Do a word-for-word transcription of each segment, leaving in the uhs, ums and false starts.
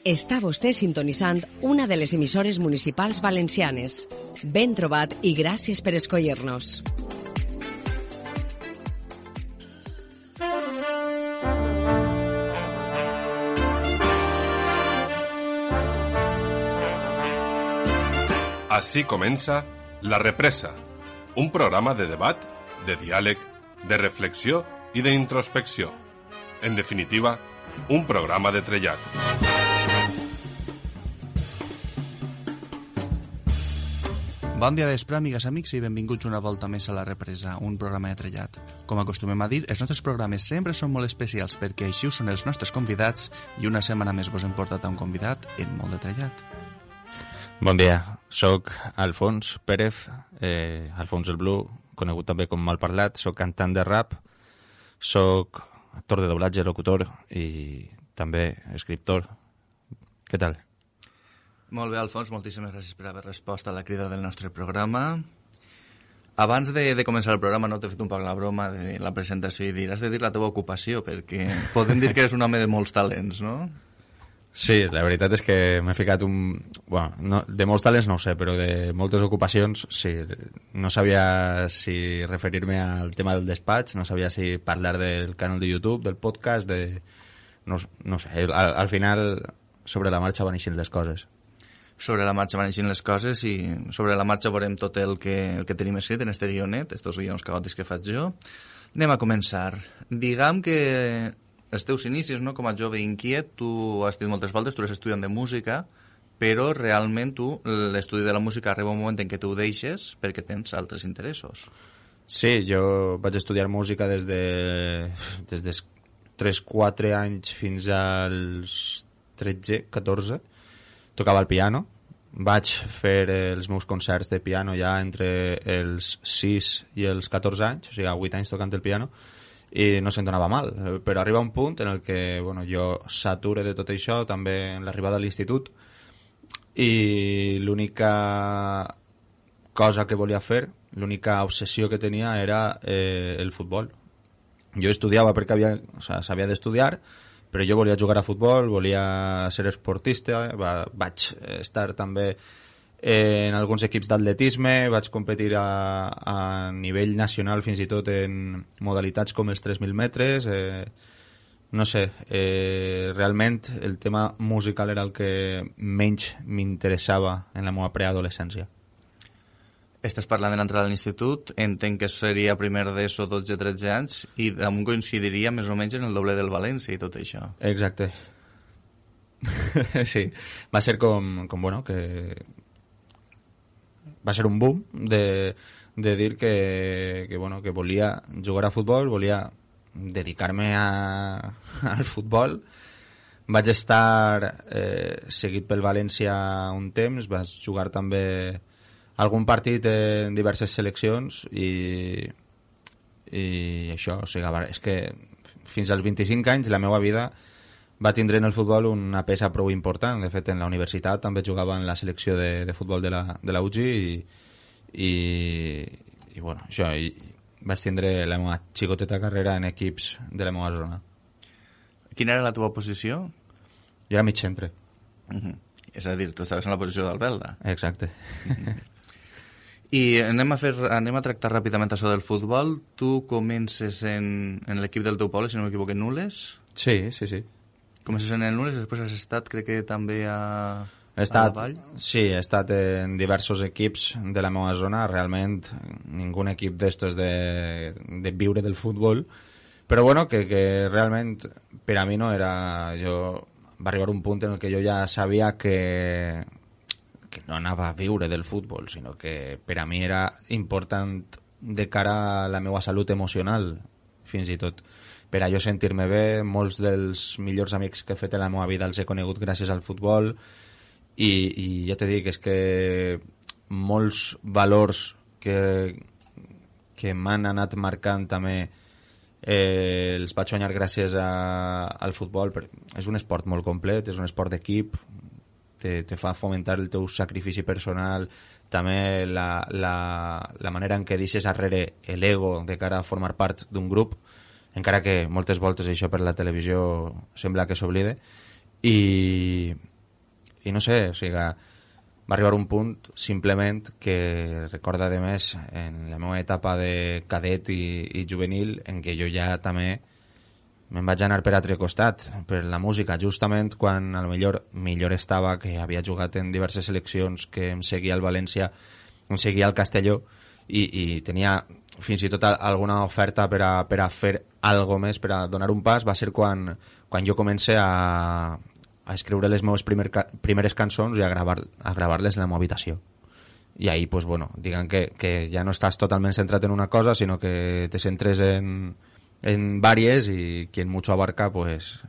Està vostè sintonitzant una de les emissores municipals valencianes. Ben trobat i gràcies per escollir-nos. Així comença La Represa, un programa de debat, de diàleg, de reflexió i d'introspecció. En definitiva, un programa de trellat. Bon dia d'espre, amigues, amics, i benvinguts una volta més a La Represa, un programa de trellat. Com acostumem a dir, els nostres programes sempre són molt especials perquè així ho són els nostres convidats i una setmana més vos hem portat a un convidat en molt de trellat. Bon dia, soc Alfons Pérez, eh, Alfons el Blu, conegut també com Malparlat, soc cantant de rap, soc actor de doblatge, locutor i també escriptor. Què tal? Molt bé, Alfons, moltíssimes gràcies per haver respost a la crida del nostre programa. Abans de, de començar el programa no t'he fet un poc la broma de la presentació i dir, has de dir la teva ocupació, perquè podem dir que eres un home de molts talents, no? Sí, la veritat és que m'he ficat un... Bueno, no, de molts talents no ho sé, però de moltes ocupacions sí. No sabia si referir-me al tema del despatx, no sabia si parlar del canal de YouTube, del podcast, de... No, no sé, al, al final sobre la marxa van eixint les coses. Sobre la marxa van eixint les coses i sobre la marxa veurem tot el que, el que tenim escrit en este guionet, estos guions caòtics que faig jo. Anem a començar. Diguem que els teus inicis, no? Com a jove inquiet, tu has dit moltes voltes, tu eres estudiant de música, però realment tu, l'estudi de la música arriba un moment en què tu ho deixes perquè tens altres interessos. Sí, jo vaig estudiar música des de des dels tres quatre anys fins als tretze catorze. Tocava el piano. Vaig fer els meus concerts de piano ja entre els sis i els catorze anys, o sigui, a vuit anys tocant el piano, i no se'n donava mal, però arriba un punt en el que bueno, jo sature de tot això, també en l'arribada a l'institut, i l'única cosa que volia fer, l'única obsessió que tenia era eh, el futbol. Jo estudiava perquè havia, o sigui, s'havia d'estudiar, però jo volia jugar a futbol, volia ser esportista, va, vaig estar també en alguns equips d'atletisme, vaig competir a, a nivell nacional fins i tot en modalitats com els tres mil metres, eh, no sé, eh, realment el tema musical era el que menys m'interessava en la meva preadolescència. Estàs parlant de l'entrada a l'institut, entenc que seria primer d'ESO, dotze tretze anys, i damunt coincidiria més o menys en el doble del València i tot això. Exacte. Sí, va ser com, com bueno, que... Va ser un boom de, de dir que, que, bueno, que volia jugar a futbol, volia dedicar-me a, al futbol. Vaig estar eh, seguit pel València un temps, vaig jugar també algun partit en diverses seleccions i, i això, o sigui, és que fins als vint-i-cinc anys la meva vida va tindre en el futbol una peça prou important. De fet, en la universitat també jugava en la selecció de, de futbol de la, de la U G i, i, i bueno, això, i vaig tindre la meva xicoteta carrera en equips de la meva zona. Quina era la teva posició? Jo era mig centre. Uh-huh. És a dir, tu estaves en la posició d'Albelda. Exacte. Uh-huh. I anem a, fer, anem a tractar ràpidament això del futbol. Tu comences en, en l'equip del teu poble, si no m'equivoco, en Nules? Sí, sí, sí. Comences en el Nules, després has estat, crec que també a, he estat, a la Vall? Sí, he estat en diversos equips de la meva zona. Realment, ningú equip d'estos de, de viure del futbol. Però bueno, que, que realment per a mi no era... Jo, va arribar un punt en el que jo ja sabia que... que no anava a viure del futbol, sinó que per a mi era important de cara a la meva salut emocional, fins i tot. Per a jo sentir-me bé, molts dels millors amics que he fet en la meva vida els he conegut gràcies al futbol i, i ja t'he dit que és que molts valors que, que m'han anat marcant també eh, els vaig guanyar gràcies a, al futbol. És un esport molt complet, és un esport d'equip, Te, te fa fomentar el teu sacrifici personal, també la, la, la manera en què deixes arrere l'ego de cara a formar part d'un grup, encara que moltes voltes això per la televisió sembla que s'oblide, i, i no sé, o sigui, va arribar un punt simplement que recorda de més en la meva etapa de cadet i, i juvenil en què jo ja també me'n vaig anar per altre costat, per la música, justament quan a lo millor millor estava, que havia jugat en diverses seleccions, que em seguia al València, em seguia al Castelló i, i tenia fins i tot alguna oferta per a, per a fer algo més, per a donar un pas, va ser quan, quan jo comencé a a escriure les meves primer, primeres cançons i a gravar-les a gravar-les en la meva habitació. I ahí, pues, bueno, digan que, que ja no estàs totalment centrat en una cosa, sinó que te centres en, en varias y quien mucho abarca, pues,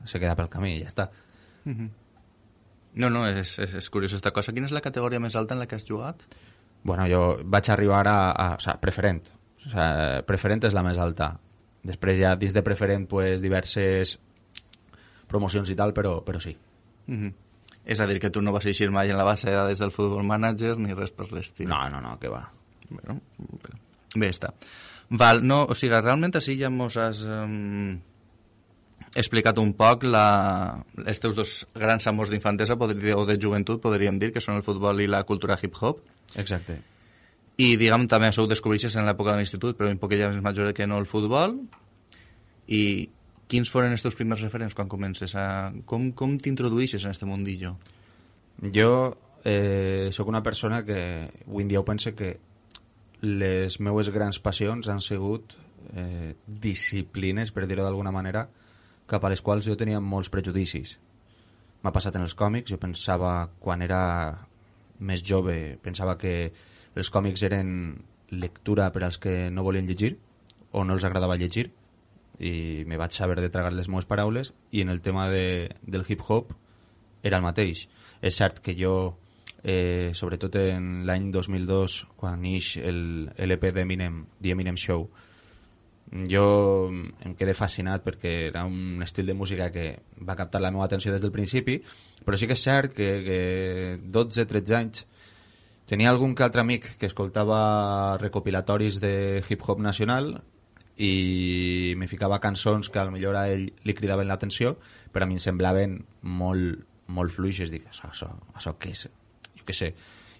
se queda pel camí i ja està. Mm-hmm. No, no, és, és, és curiós esta cosa. Quina és la categoria més alta en la que has jugat? Bueno, jo vaig arribar a... a o sea, preferent. O sea, preferent és la més alta. Després ja, dins de preferent, pues, diverses promocions i tal, però, però sí. Mm-hmm. És a dir, que tu no vas eixir mai en la base de dades del Football Manager ni res per l'estil. No, no, no, que va. Bueno, bé està. Val, no, o sigui, realment així ja mos has um, explicat un poc la, els teus dos grans amors d'infantesa o de joventut, podríem dir, que són el futbol i la cultura hip-hop. Exacte. I, diguem, també això ho descobreixes en l'època de l'institut, però un poc ja més major que no el futbol. I quins foren els teus primers referents quan comences a... Com, com t'introduïsses en aquest mundillo? Jo eh, sóc una persona que avui en dia ho pense que les meues grans passions han sigut eh, disciplines, per dir-ho d'alguna manera, cap a les quals jo tenia molts prejudicis. M'ha passat en els còmics, jo pensava, quan era més jove, pensava que els còmics eren lectura per als que no volien llegir o no els agradava llegir, i me vaig saber de tragar les meves paraules, i en el tema de, del hip-hop era el mateix. És cert que jo, eh, sobretot en l'any dos mil dos, quan neix el L P d'Eminem, The Eminem Show, jo em quedé fascinat perquè era un estil de música que va captar la meva atenció des del principi, però sí que és cert que, que dotze tretze anys tenia algun que altre amic que escoltava recopilatoris de hip-hop nacional i me ficava cançons que a lo millor a ell li cridaven l'atenció, però a mi em semblaven molt, molt fluixes. Dic, això, això, això què és? Jo què sé,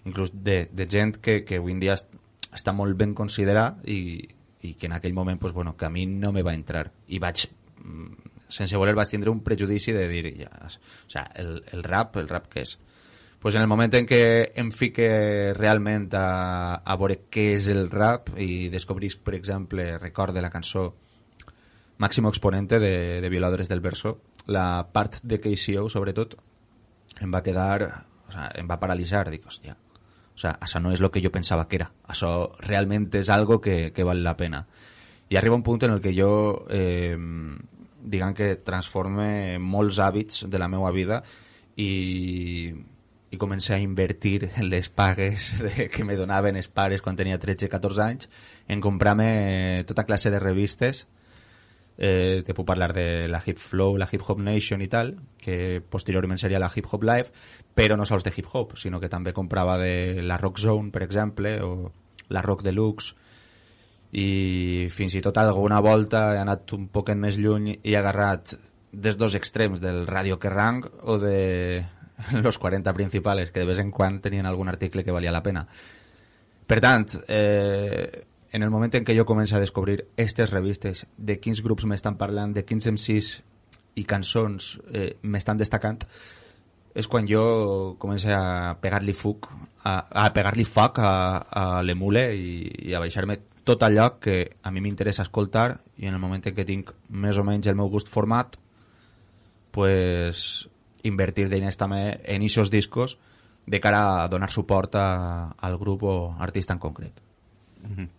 inclús de, de gent que, que avui en dia està molt ben considerat i, i que en aquell moment, pues, bueno, que a mi no me va entrar. I vaig, sense voler, vaig tindre un prejudici de dir, ja, o sea, el, el rap, el rap què és? Pues en el moment en què em fique realment a, a veure què és el rap i descobrisc, per exemple, recorde la cançó Máximo Exponente de, de Violadores del Verso, la part de K C O, sobretot, em va quedar, o sea, em va paralitzar. Dic, hòstia, o sea, això no és el que jo pensava que era. Això realment és algo que, que val la pena. I arriba un punt en el que jo, eh, diguem que transforme molts hàbits de la meva vida i... i comencé a invertir en les pagues de, que me donaven els pares quan tenia tretze catorze anys en comprar-me tota classe de revistes. Eh, te puc parlar de la Hip Flow, la Hip Hop Nation i tal, que posteriorment seria la Hip Hop Live, però no sols de hip hop, sinó que també comprava de la Rock Zone, per exemple, o la Rock Deluxe, i fins i tot alguna volta he anat un poquet més lluny i he agarrat des dos extrems del Radio Kerrang o de los quaranta principales, que de vez en quan tenien algun article que valia la pena. Per tant, eh, en el moment en què jo començo a descobrir aquestes revistes, de quins grups m'estan parlant, de quins M Cs i cançons eh, m'estan destacant, és quan jo començo a pegar-li foc a, a pegar-li foc a, a l'emule i, i a baixar-me tot allò que a mi m'interessa escoltar, i en el moment en què tinc més o menys el meu gust format, pues invertir d'iners també en aquests discos de cara a donar suport a, al grup o artista en concret. Mm-hmm.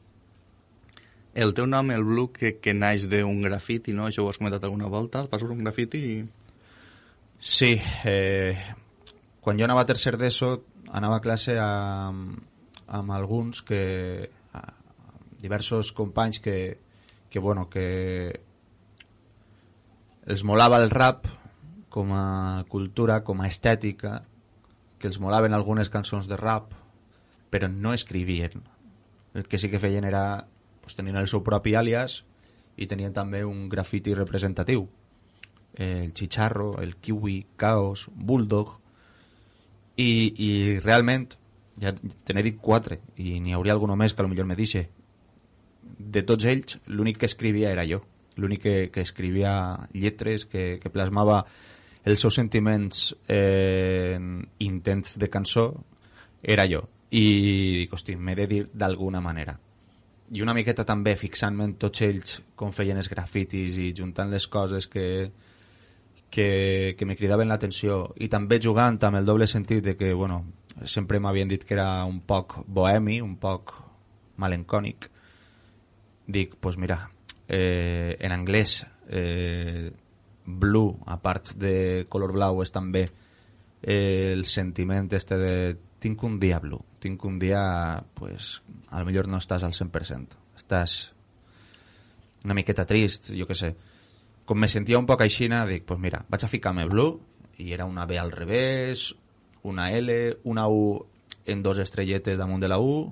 El teu nom, el Blue, que, que naix d'un grafiti, no? Això ho has comentat alguna volta, el pas per un grafiti? I... Sí, eh, quan jo anava a tercer d'ESO anava a classe amb, amb alguns que diversos companys que, que bueno, que els molava el rap com a cultura, com a estètica, que els molaven algunes cançons de rap, però no escrivien. El que sí que feien era, pues, tenien el seu propi àlies i tenien també un grafiti representatiu. El Chicharro, el Kiwi, Caos, Bulldog, I, i realment, ja te n'he dit quatre, i n'hi hauria algun més que potser me dixe. De tots ells, l'únic que escrivia era jo. L'únic que, que escrivia lletres, que, que plasmava els seus sentiments eh, en intents de cançó, era jo. I dic, hosti, m'he de dir d'alguna manera. I una miqueta també fixant-me en tots ells com feien els grafitis i juntant les coses que, que, que me cridaven l'atenció, i també jugant amb el doble sentit de que, bueno, sempre m'havien dit que era un poc bohemi, un poc malencònic. Dic, doncs pues mira, eh, en anglès eh, blue, a part de color blau, és també eh, el sentiment este de tinc un dia blue, tinc un dia, pues, a lo millor no estàs al cent per cent, estàs una miqueta trist, jo què sé. Com me sentia un poc aixina, dic, pues mira, vaig a ficar-me blue, i era una B al revés, una L, una U en dos estrelletes damunt de la U,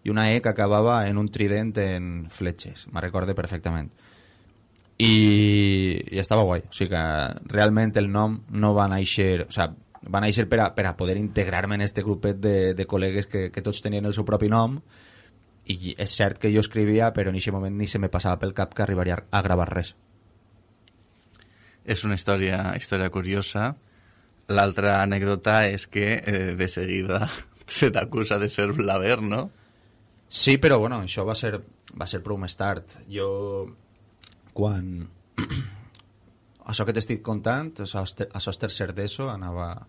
i una E que acabava en un trident en fletxes, me'n recorde perfectament. I, i estava guai, o sigui que realment el nom no va néixer, o sigui, va néixer per a, per a poder integrar-me en este grupet de, de col·legues que, que tots tenien el seu propi nom, i és cert que jo escrivia, però en aquest moment ni se me passava pel cap que arribaria a gravar res. És una història, història curiosa. L'altra anècdota és que eh, de seguida se t'acusa de ser blaver, no? Sí, però bueno, això va ser, va ser prou més tard. Jo, quan... això que t'estic contant, a sos tercer d'ESO, anava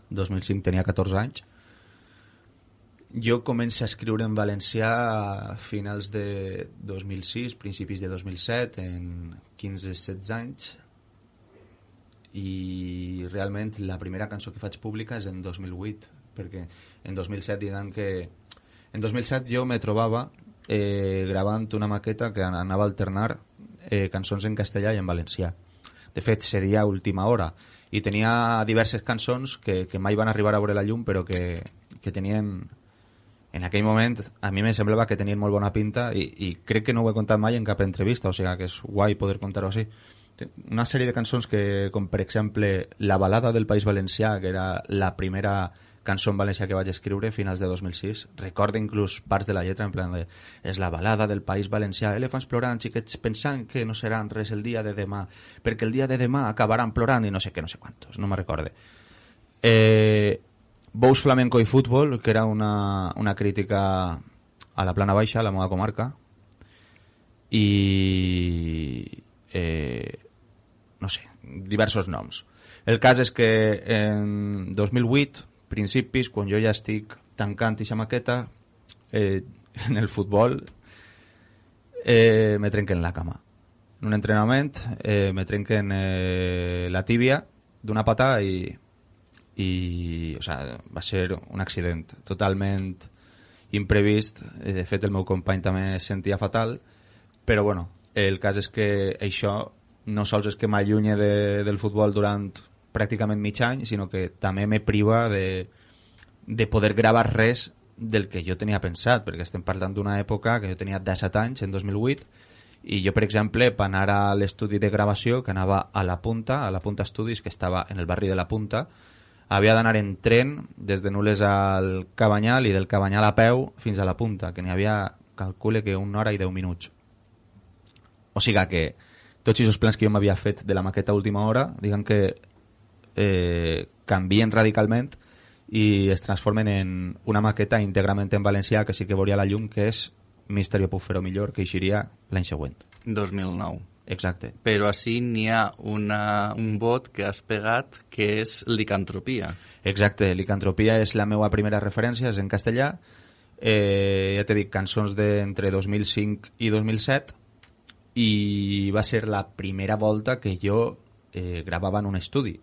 dos mil cinc, tenia catorze anys. Jo començo a escriure en valencià a finals de dos mil sis, principis de dos mil set, en quinze setze anys, i realment la primera cançó que faig pública és en dos mil vuit, perquè en dos mil set diguem que... En dos mil set jo me trobava eh, gravant una maqueta que anava a alternar eh, cançons en castellà i en valencià. De fet, seria última hora, i tenia diverses cançons que, que mai van arribar a veure la llum, però que, que tenien, en aquell moment, a mi me semblava que tenien molt bona pinta, i, i crec que no ho he contat mai en cap entrevista, o sigui que és guai poder contar-ho així. Una sèrie de cançons que, com per exemple La balada del País Valencià, que era la primera cançó en valencià que vaig escriure a finals de dos mil sis, recordo inclús parts de la lletra en plan de és la balada del País Valencià, elefants plorant, xiquets pensant que no seran res el dia de demà, perquè el dia de demà acabaran plorant i no sé què, no sé quantos, no me recorde. Eh, Bous, Flamenco i Futbol, que era una, una crítica a la Plana Baixa, a la meva comarca, i eh, no sé, diversos noms. El cas és que en dos mil vuit, principis, quan jo ja estic tancant ixa maqueta, eh, en el futbol eh, me trenquen la cama. En un entrenament eh, me trenquen eh, la tíbia d'una patada i, i o sea, va ser un accident totalment imprevist. De fet, el meu company també es sentia fatal, però bueno, el cas és que això no sols és que m'allunye de, del futbol durant pràcticament mig any, sinó que també me priva de, de poder gravar res del que jo tenia pensat, perquè estem parlant d'una època que jo tenia disset anys, en dos mil vuit, i jo, per exemple, per anar a l'estudi de gravació, que anava a la Punta, a la Punta Estudis, que estava en el barri de la Punta, havia d'anar en tren des de Nules al Cabanyal i del Cabanyal a peu fins a la Punta, que n'hi havia, calcule que una hora i deu minuts. O sigui que tots aquests plans que jo m'havia fet de la maqueta a última hora, diguem que eh, canvien radicalment i es transformen en una maqueta íntegrament en valencià que sí que veuria la llum, que és Misterio puc fer-ho millor, que eixiria l'any següent. dos mil nou. Exacte. Però així n'hi ha una, un vot que has pegat que és licantropia. Exacte, licantropia és la meva primera referència, és en castellà. Eh, ja t'he dit, cançons d'entre dos mil cinc i dos mil set, i va ser la primera volta que jo eh, gravava en un estudi.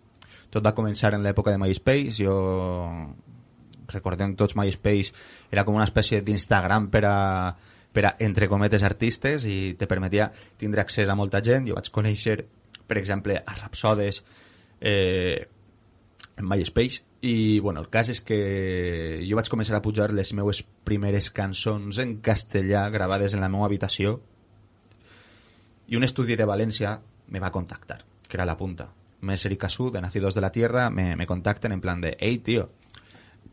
Tot va començar en l'època de MySpace. Jo recordem tots, MySpace era com una espècie d'Instagram per a, per a, entre cometes, artistes, i te permetia tindre accés a molta gent. Jo vaig conèixer, per exemple, a Rapsodes eh, en MySpace, i bueno, el cas és que jo vaig començar a pujar les meues primeres cançons en castellà gravades en la meva habitació, i un estudi de València me va contactar, que era La Punta. Messer y Casú, de Nacidos de la Tierra, me, me contacten en plan de, hey, tío,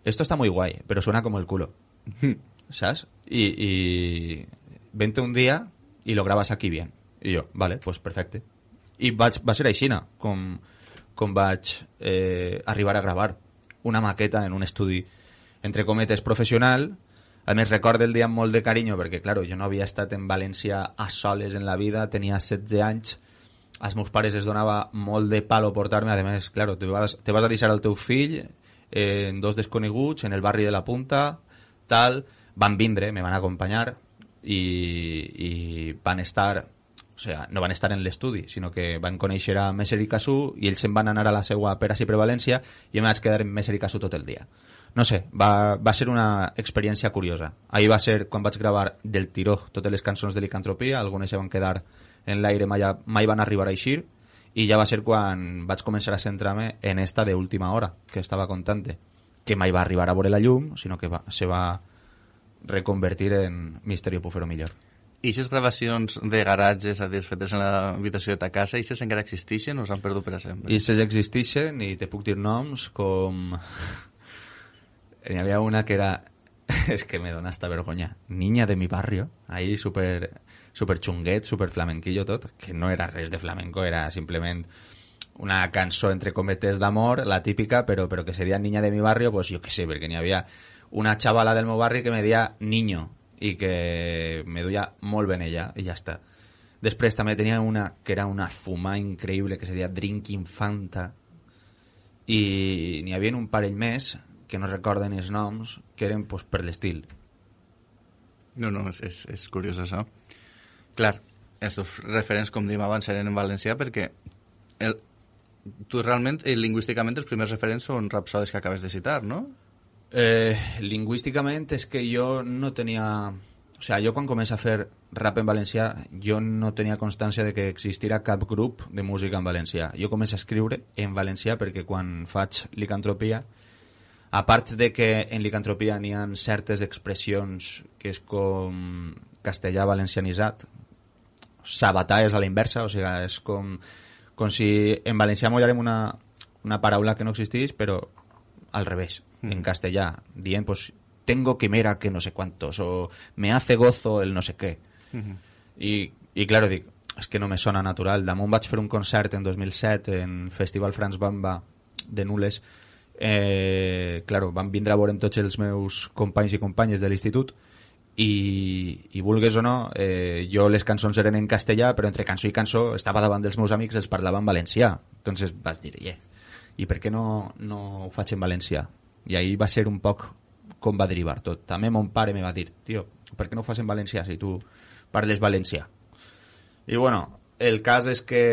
esto está muy guay, pero suena como el culo. ¿Sabes? Y, y vente un día y lo grabas aquí bien. I jo, vale, pues perfecte. I vaig, va ser així, com, com vaig eh, arribar a gravar una maqueta en un estudi, entre cometes, professional. A més, recordo el dia amb molt de carinyo, perquè, claro, jo no havia estat en València a soles en la vida, tenia setze anys, als meus pares es donava molt de palo portar-me, a més, claro, te vas, te vas a deixar el teu fill eh, en dos desconeguts, en el barri de la Punta, tal, van vindre, me van acompanyar i, i van estar, o sea, no van estar en l'estudi, sinó que van conèixer a Messer i Casú i ells se'n van anar a la seua per ací per València i jo me vaig quedar en Messer i Casú tot el dia. No sé, va, va ser una experiència curiosa. Ahir va ser quan vaig gravar del tiró totes les cançons de Licantropia, algunes se van quedar en l'aire, mai, mai van arribar a eixir, i ja va ser quan vaig començar a centrar-me en esta de última hora, que estava contant, que mai va arribar a veure la llum, sinó que va, se va reconvertir en Misterio Pufero Millor. I aquestes gravacions de garatges, a dir, fetes en l'habitació de ta casa, i aquestes encara existeixen o s'han perdut per a sempre? I aquestes existeixen, i te puc dir noms com... N'hi havia una que era... és que me dona hasta vergonya. Niña de mi barrio, ahí super, super xunguet, super flamenquillo tot, que no era res de flamenco, era simplement una cançó entre cometes d'amor, la típica, però, però que seria Niña de mi barrio, pues jo què sé, perquè n'hi havia una xavala del meu barri que me deia Niño, i que me duia molt ben ella, i ja està. Després també tenia una que era una fumà increïble, que se deia Drinking Fanta, i n'hi havia un parell més que no recorden els noms, que eren pues, per l'estil. No, no, és, és, és curiós això. Clar, estos referents, com dèiem abans, eren en valencià perquè el, tu realment, eh, lingüísticament, els primers referents són rapsodes que acabes de citar, no? Eh, lingüísticament és que jo no tenia... O sea, jo quan començo a fer rap en valencià, jo no tenia constància de que existira cap grup de música en valencià. Jo començo a escriure en valencià perquè quan faig Licantropia, a part de que en Licantropia n'hi ha certes expressions que és com castellà valencianitzat, sabatà és a la inversa, o sigui, és com, com si en valencià mollarem una, una paraula que no existeix, però al revés, mm. en castellà, dient, pues, tengo quimera que no sé cuántos, o me hace gozo el no sé qué. Mm-hmm. I, i claro, dic, és que no me sona natural. Damunt vaig fer un concert en dos mil set en Festival Franz Bamba de Nules. Eh, claro, van vindre a veure tots els meus companys i companyes de l'institut i, i vulgues o no, eh, jo les cançons eren en castellà, però entre cançó i cançó estava davant dels meus amics, els parlava en valencià. Entonces vas dir, yeah, i per què no, no ho faig en valencià? I ahí va ser un poc com va derivar tot. També mon pare me va dir, tio, per què no ho fas en valencià si tu parles valencià? I bueno, el cas és que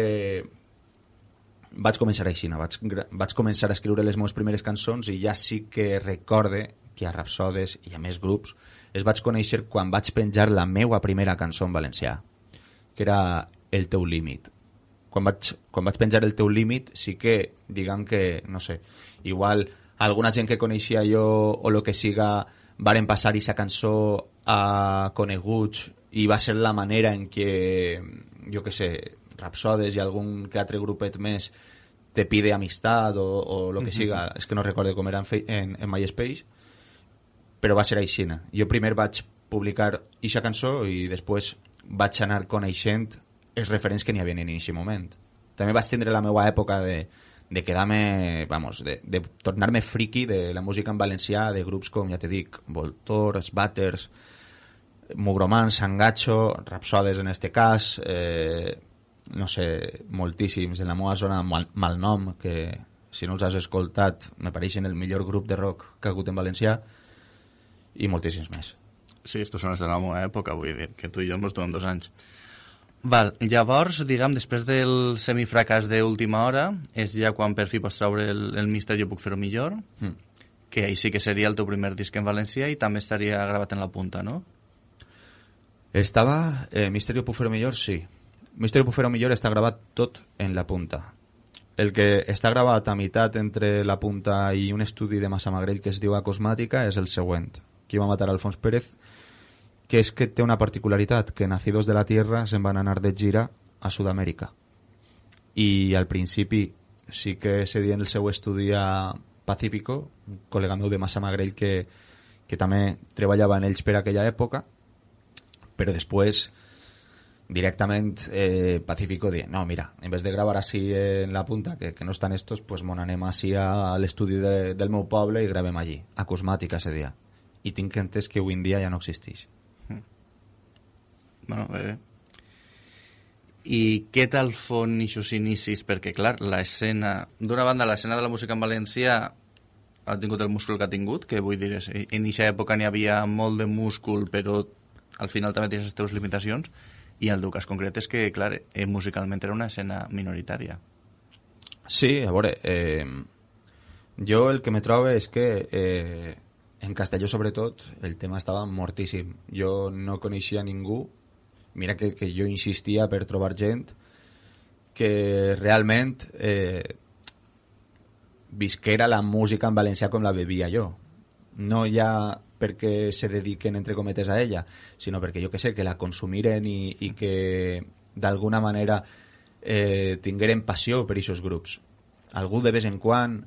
vaig començar així, no? vaig, vaig començar a escriure les meves primeres cançons i ja sí que recorde que a Rapsodes i a més grups es vaig conèixer quan vaig penjar la meua primera cançó en valencià, que era El teu límit. Quan vaig, quan vaig penjar El teu límit sí que, diguem que, no sé, igual alguna gent que coneixia jo o lo que siga varen passar aquesta cançó a coneguts i va ser la manera en què, jo que sé, Rapsodes i algun que altre grupet més te pide amistad o, o lo que siga, és que no recordo com era en, en, en MySpace, però va ser així. Jo primer vaig publicar eixa cançó i després vaig anar coneixent els referents que n'hi havia en aquest moment. També vaig tindre la meva època de, de quedar-me, vamos, de, de tornar-me friki de la música en valencià, de grups com, ja te dic, Voltor, Sbatters, Mugromans, Sangacho, Rapsodes en este cas, eh, no sé, moltíssims en la meva zona, mal, Malnom, que si no els has escoltat me pareixen el millor grup de rock que ha hagut en valencià, i moltíssims més. Sí, estos són els de la meva època, vull dir, que tu i jo ens duem dos anys. Val, llavors, diguem, després del semifracàs d'última hora, és ja quan per fi pots treure el, el Misterio Puc Fer-ho Millor, mm. que ahí sí que seria el teu primer disc en valencià i també estaria gravat en la Punta, no? Estava, eh, Misterio Puc Fer-ho Millor, sí. Misterio Pufero Millor està gravat tot en la Punta. El que està gravat a meitat entre la Punta i un estudi de Massamagrell que es diu Acosmàtica és el següent. Qui va matar a Alfons Pérez, que és que té una particularitat, que Nacidos de la Tierra se'n van anar de gira a Sud-amèrica. I al principi sí que se dient el seu estudi a, Pacífico, un col·lega meu de Massamagrell que, que també treballava en ells per aquella època, però després directament eh, Pacífico diu, no, mira, en vez de gravar així en la punta, que, que no estan estos, pues mon anem així a l'estudi de, del meu poble i gravem allí, acusmàtica ese dia. I tinc entès que avui en dia ja no existeix. Mm. Bueno, bé. I què tal fon ixos inicis? Perquè, clar, l'escena... D'una banda, l'escena de la música en valencià ha tingut el múscul que ha tingut, que vull dir, en aquesta època n'hi havia molt de múscul, però al final també tens les teves limitacions, i el teu cas concret és que, clar, eh, musicalment era una escena minoritària. Sí, a veure, eh, jo el que me trobo és que eh, en Castelló, sobretot, el tema estava mortíssim. Jo no coneixia ningú. Mira que, que jo insistia per trobar gent que realment eh, visquera la música en valencià com la bevia jo. No ja perquè se dediquen, entre cometes, a ella, sinó perquè jo que sé, que la consumiren i, i que d'alguna manera eh, tingueren passió per aquests grups. Algú de vez en quan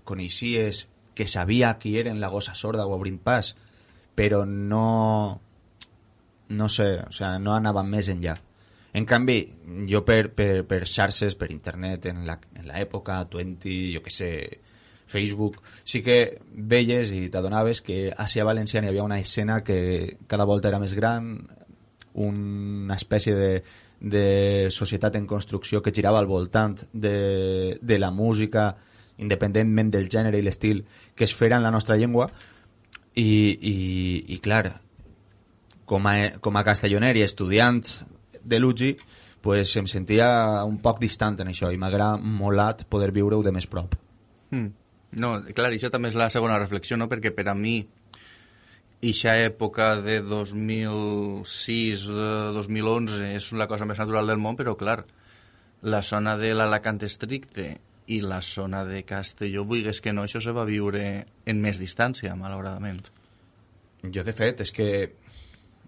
coneixies que sabia qui eren la Gossa Sorda o Obrint Pas, però no... no sé, o sea, no anava més enllà. En canvi, jo per, per, per xarxes, per internet, en l'època, Twenty, jo que sé, Facebook, sí que veies i t'adonaves que a Sia Valencià hi havia una escena que cada volta era més gran, una espècie de, de societat en construcció que girava al voltant de, de la música, independentment del gènere i l'estil que es fera en la nostra llengua, i, i, i clar, com a, com a castelloner i estudiant de l'U G I, pues em sentia un poc distant en això i m'agrada molat poder viure-ho de més prop. Mm. No, clar, això també és la segona reflexió, no? Perquè per a mi eixa època de dos mil sis, dos mil onze és la cosa més natural del món, però clar, la zona de l'Alacant estricte i la zona de Castelló, vulguis que no, això se va viure en més distància, malauradament. Jo, de fet, és que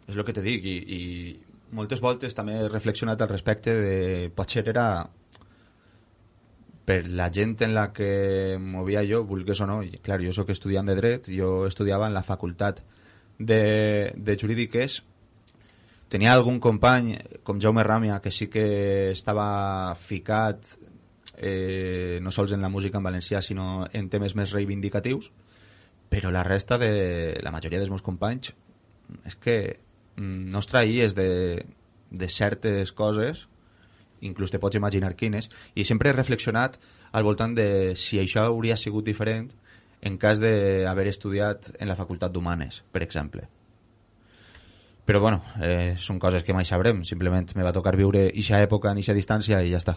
és el que te dic, i, i moltes voltes també he reflexionat al respecte de potser era per la gent en la que movia jo, vulgués o no, i clar, jo sóc estudiant de dret, jo estudiava en la facultat de, de jurídiques, tenia algun company com Jaume Ràmia que sí que estava ficat eh, no sols en la música en valencià sinó en temes més reivindicatius, però la resta de la majoria dels meus companys és que no es traïes de, de certes coses, inclús te pots imaginar quines, i sempre he reflexionat al voltant de si això hauria sigut diferent en cas d'haver estudiat en la Facultat d'Humanes, per exemple. Però bueno, eh, són coses que mai sabrem, simplement me va tocar viure eixa època en eixa distància i ja està.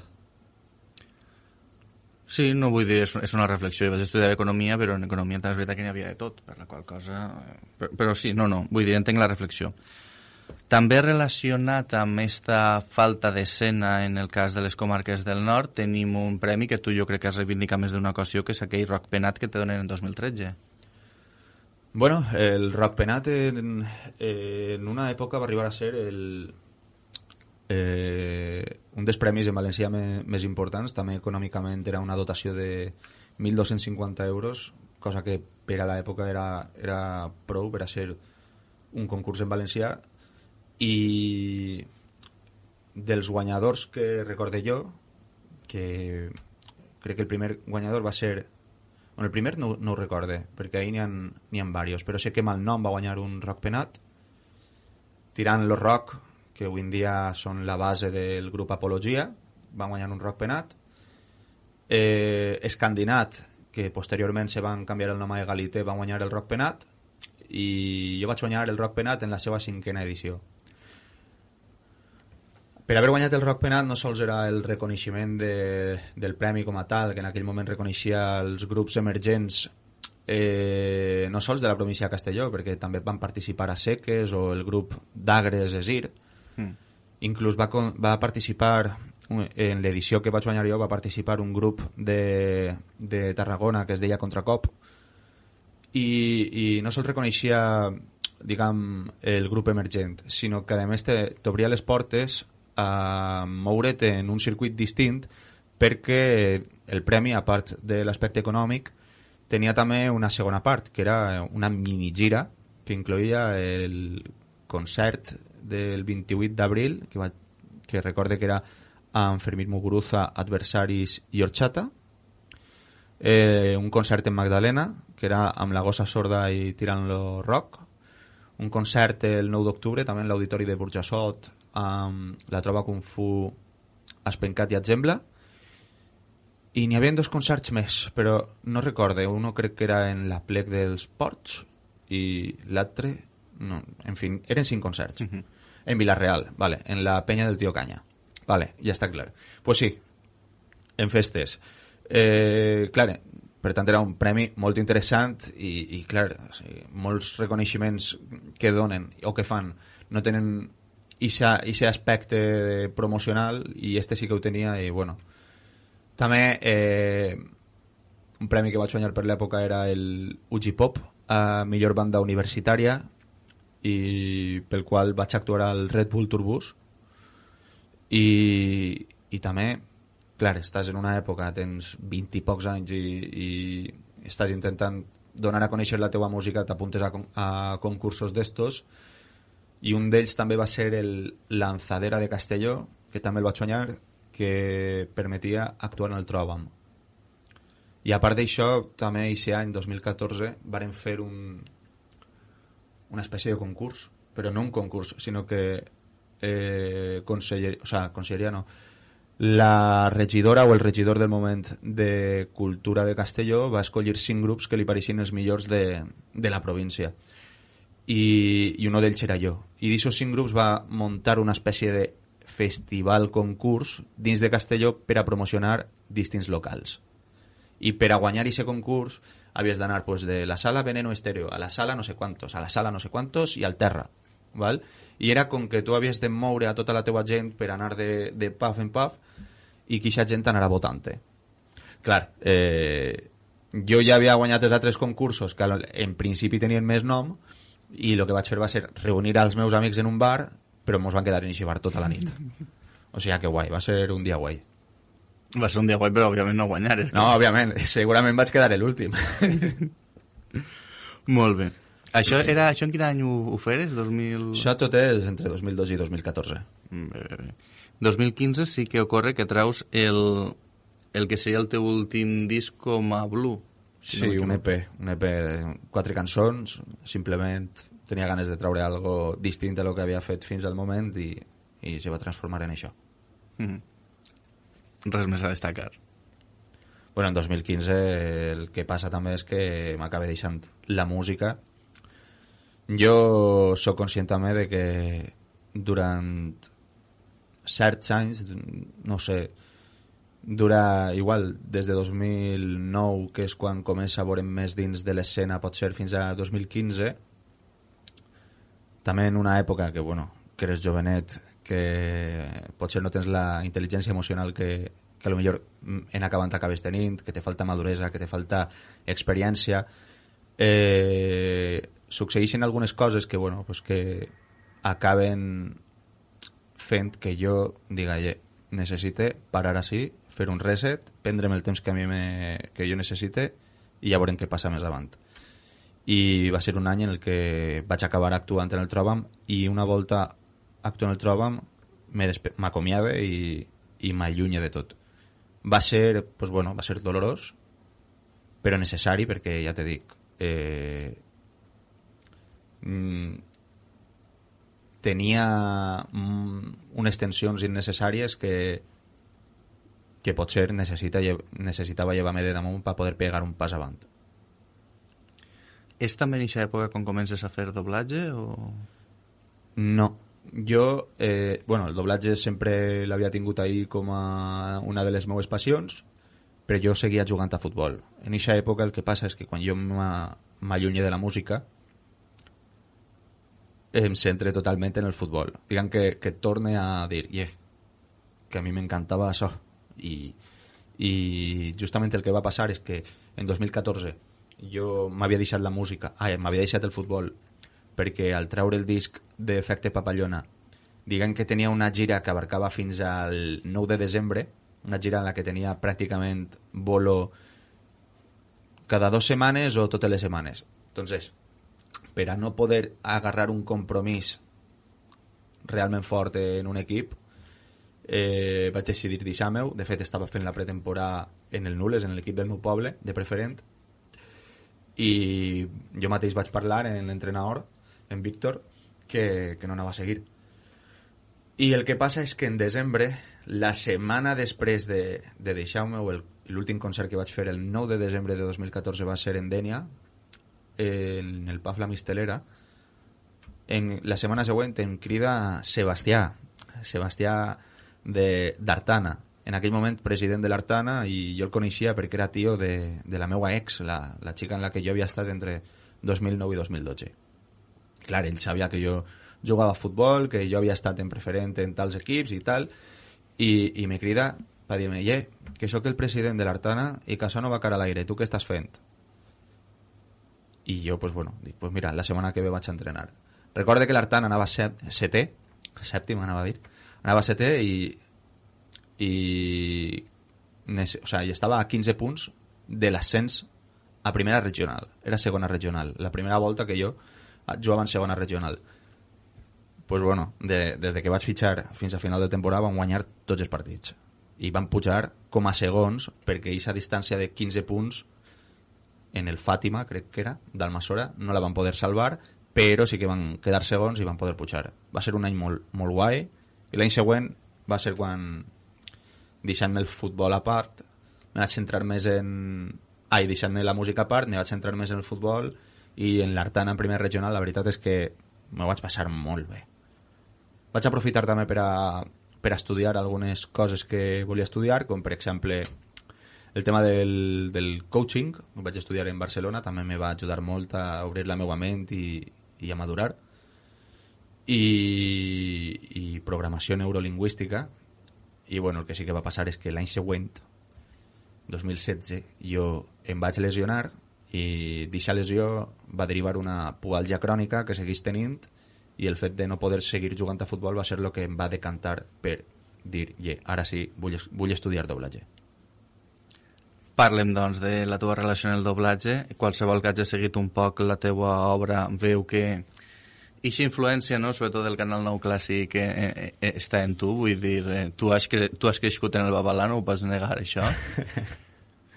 Sí, no vull dir, és una reflexió. Jo vaig estudiar economia, però en economia també és veritat que n'hi havia de tot, per la qual cosa... Però, però sí, no, no, vull dir, entenc la reflexió. També relacionat amb aquesta falta d'escena en el cas de les comarques del nord, tenim un premi que tu jo crec que has reivindicat més d'una ocasió, que és aquell Rock Penat que te donen en dos mil tretze. Bueno, el Rock Penat en, en una època va arribar a ser el, eh, un dels premis en valencià me, més importants. També econòmicament era una dotació de mil dos-cents cinquanta euros, cosa que per a l'època era, era prou per a ser un concurs en valencià. I dels guanyadors que recorde jo, que crec que el primer guanyador va ser... Bueno, el primer no, no ho recorde, perquè ahir n'hi ha, n'hi ha diversos, però sé que Malnom va guanyar un Rock Penat, Tirant lo Rock, que avui en dia són la base del grup Apologia, va guanyar un Rock Penat, eh, Escandinat, que posteriorment se van canviar el nom a Egalité, va guanyar el Rock Penat, i jo vaig guanyar el Rock Penat en la seva cinquena edició. Per haver guanyat el Rock Penat no sols era el reconeixement de, del premi com a tal, que en aquell moment reconeixia els grups emergents eh, no sols de la província de Castelló, perquè també van participar a Seques o el grup d'Agres Esir. Mm. Inclús va, va participar, en l'edició que vaig guanyar jo, va participar un grup de, de Tarragona que es deia Contracop, i, i no sols reconeixia, diguem, el grup emergent, sinó que a més t'obria les portes a moure't en un circuit distint, perquè el premi, a part de l'aspecte econòmic, tenia també una segona part, que era una minigira que incloïa el concert del vint-i-vuit d'abril, que, va, que recorde que era amb Fermín Muguruza, Adversaris i Orxata, eh, un concert en Magdalena, que era amb la gossa sorda i tirant-lo rock, un concert el nou d'octubre, també en l'auditori de Burjassot, amb la Trova Kung Fu Espencat i Atzembla, i n'hi havia dos concerts més, però no recorde, uno crec que era en la plec dels Ports i l'altre, no, en fi, eren cinc concerts. Uh-huh. En Vilareal, vale, en la penya del Tio Canya. Vale, ja està clar. Pues sí, en festes. Eh, clar, per tant era un premi molt interessant i, i clar, o sigui, molts reconeixements que donen o que fan no tenen aquest aspecte promocional i este sí que ho tenia i bueno. També eh, un premi que vaig guanyar per l'època era el U G Pop a millor banda universitària i pel qual vaig actuar al Red Bull Tourbus i, i també clar, estàs en una època, tens vint i pocs anys i, i estàs intentant donar a conèixer la teua música, t'apuntes a, a concursos d'estos i un d'ells també va ser el Lanzadera de Castelló, que també el vaig guanyar, que permetia actuar en el Trobam. I a part d'això, també aquest any, dos mil catorze, varen fer un, una espècie de concurs, però no un concurs, sinó que eh, conseller, o sea, conselleria no, la regidora o el regidor del moment de Cultura de Castelló va escollir cinc grups que li pareixien els millors de, de la província. I, i un d'ells era jo. I d'aquests cinc grups va muntar una espècie de festival-concurs dins de Castelló per a promocionar distints locals. I per a guanyar aquest concurs havies d'anar pues, de la sala Veneno Estéreo a la sala no sé quantos, a la sala no sé quantos i al terra. Val? I era com que tu havies de moure a tota la teua gent per anar de, de puff en puff i que aquesta gent anara votant-te. Clar, eh, jo ja havia guanyat els altres concursos que en principi tenien més nom i el que vaig fer va ser reunir als meus amics en un bar, però ens van quedar en aquest bar tota la nit. O sigui que guai, va ser un dia guai. Va ser un dia guai, però òbviament no guanyares. No, òbviament, segurament vaig quedar l'últim. Molt bé. Això, era, això en quin any ho, ho feres? dos mil... Això tot és entre dos mil dos i dos mil catorze. Bé, bé. dos mil quinze sí que ocorre que traus el, el que seria el teu últim disc com a Blue. Si sí, no un E P, un E P de quatre cançons, simplement tenia ganes de treure algo distint a lo que havia fet fins al moment i, i se va transformar en això. Mm-hmm. Res més a destacar. Bueno, en dos mil quinze el que passa també és que m'acaba deixant la música. Jo sóc conscient també de que durant certs anys, no sé, dura igual des de dos mil nou, que és quan comença a veure més dins de l'escena, pot ser fins a dos mil quinze, també en una època que, bueno, que eres jovenet, que potser no tens la intel·ligència emocional que, que a lo millor en acabant acabes tenint, que te falta maduresa, que te falta experiència, eh, succeeixen algunes coses que, bueno, pues que acaben fent que jo diga, necessite parar així, fer un reset, prendre'm el temps que a mi me, que jo necessite i ja veurem què passa més avant. I va ser un any en el que vaig acabar actuant en el Trobam i una volta actuant en el Trobam m'acomiava i, i m'allunye de tot. Va ser, pues bueno, va ser dolorós, però necessari perquè, ja te dic, eh, mm, tenia mm, unes tensions innecessàries que que potser necessita, necessitava llevar-me de damunt per poder pegar un pas avant. És també en aquesta època quan comences a fer doblatge o...? No. Jo, eh, bueno, el doblatge sempre l'havia tingut ahí com a una de les meves passions, però jo seguia jugant a futbol. En aquesta època el que passa és que quan jo m'allunye de la música em centre totalment en el futbol. Diguem que, que torne a dir, yeah, que a mi m'encantava això. I, i justament el que va passar és que en dos mil catorze jo m'havia deixat la música, ah, m'havia deixat el futbol perquè al treure el disc d'Efecte Papallona, diguem que tenia una gira que abarcava fins al nou de desembre, una gira en la que tenia pràcticament bolo cada dos setmanes o totes les setmanes. Entonces, per a no poder agarrar un compromís realment fort en un equip, eh, vaig decidir deixar-me-ho. De fet, estava fent la pretemporada en el Nules, en l'equip del meu poble, de preferent, i jo mateix vaig parlar en l'entrenador, en Víctor, que, que no anava a seguir. I el que passa és que en desembre, la setmana després de, de deixar-me, l'últim concert que vaig fer el nou de desembre de dos mil catorze va ser en Dénia, en el Pub La Mistelera. En la setmana següent em crida Sebastià, Sebastià d'Artana, en aquell moment president de l'Artana, i jo el coneixia perquè era tio de, de la meva ex, la, la xica en la que jo havia estat entre dos mil nou i dos mil dotze. Clar, ell sabia que jo jugava a futbol, que jo havia estat en preferent en tals equips i tal, i, i me crida per dir-me, yeah, que sóc el president de l'Artana i que això no va cara a l'aire, tu què estàs fent? I jo, pues bueno, dic, pues mira, la setmana que ve vaig a entrenar. Recorde que l'Artana anava set, setè, sèptim anava a dir, anava setè i i, o sea, i estava a quinze punts de l'ascens a primera regional. Era segona regional. La primera volta que jo jugava en segona regional. Pues bueno, de, des de que vaig fitxar fins a final de temporada vam guanyar tots els partits. I van pujar com a segons perquè aquesta distància de quinze punts en el Fàtima, crec que era, d'Almassora, no la van poder salvar, però sí que van quedar segons i van poder pujar. Va ser un any molt, molt guai, i l'any següent va ser quan, deixant-me el futbol a part, me vaig centrar més en... Ai, deixant-me la música a part, me vaig centrar més en el futbol, i en l'Artana en primer regional la veritat és que m'ho vaig passar molt bé. Vaig aprofitar també per a, per a estudiar algunes coses que volia estudiar, com per exemple el tema del, del coaching. Ho vaig estudiar en Barcelona, també me va ajudar molt a obrir la meva ment i, i a madurar. I, i programació neurolingüística. I bueno, el que sí que va passar és que l'any següent, dos mil setze, jo em vaig lesionar i d'aquesta lesió va derivar una pubalgia crònica que segueix tenint, i el fet de no poder seguir jugant a futbol va ser el que em va decantar per dir, yeah, ara sí, vull, vull estudiar doblatge. Parlem, doncs, de la teva relació en el doblatge. Qualsevol que hagi seguit un poc la teva obra veu que aquesta influència, no?, sobretot del Canal nou Clàssic, eh, eh, està en tu. Vull dir, eh, tu, has cre tu has crescut en el Babalà, no ho pots negar, això.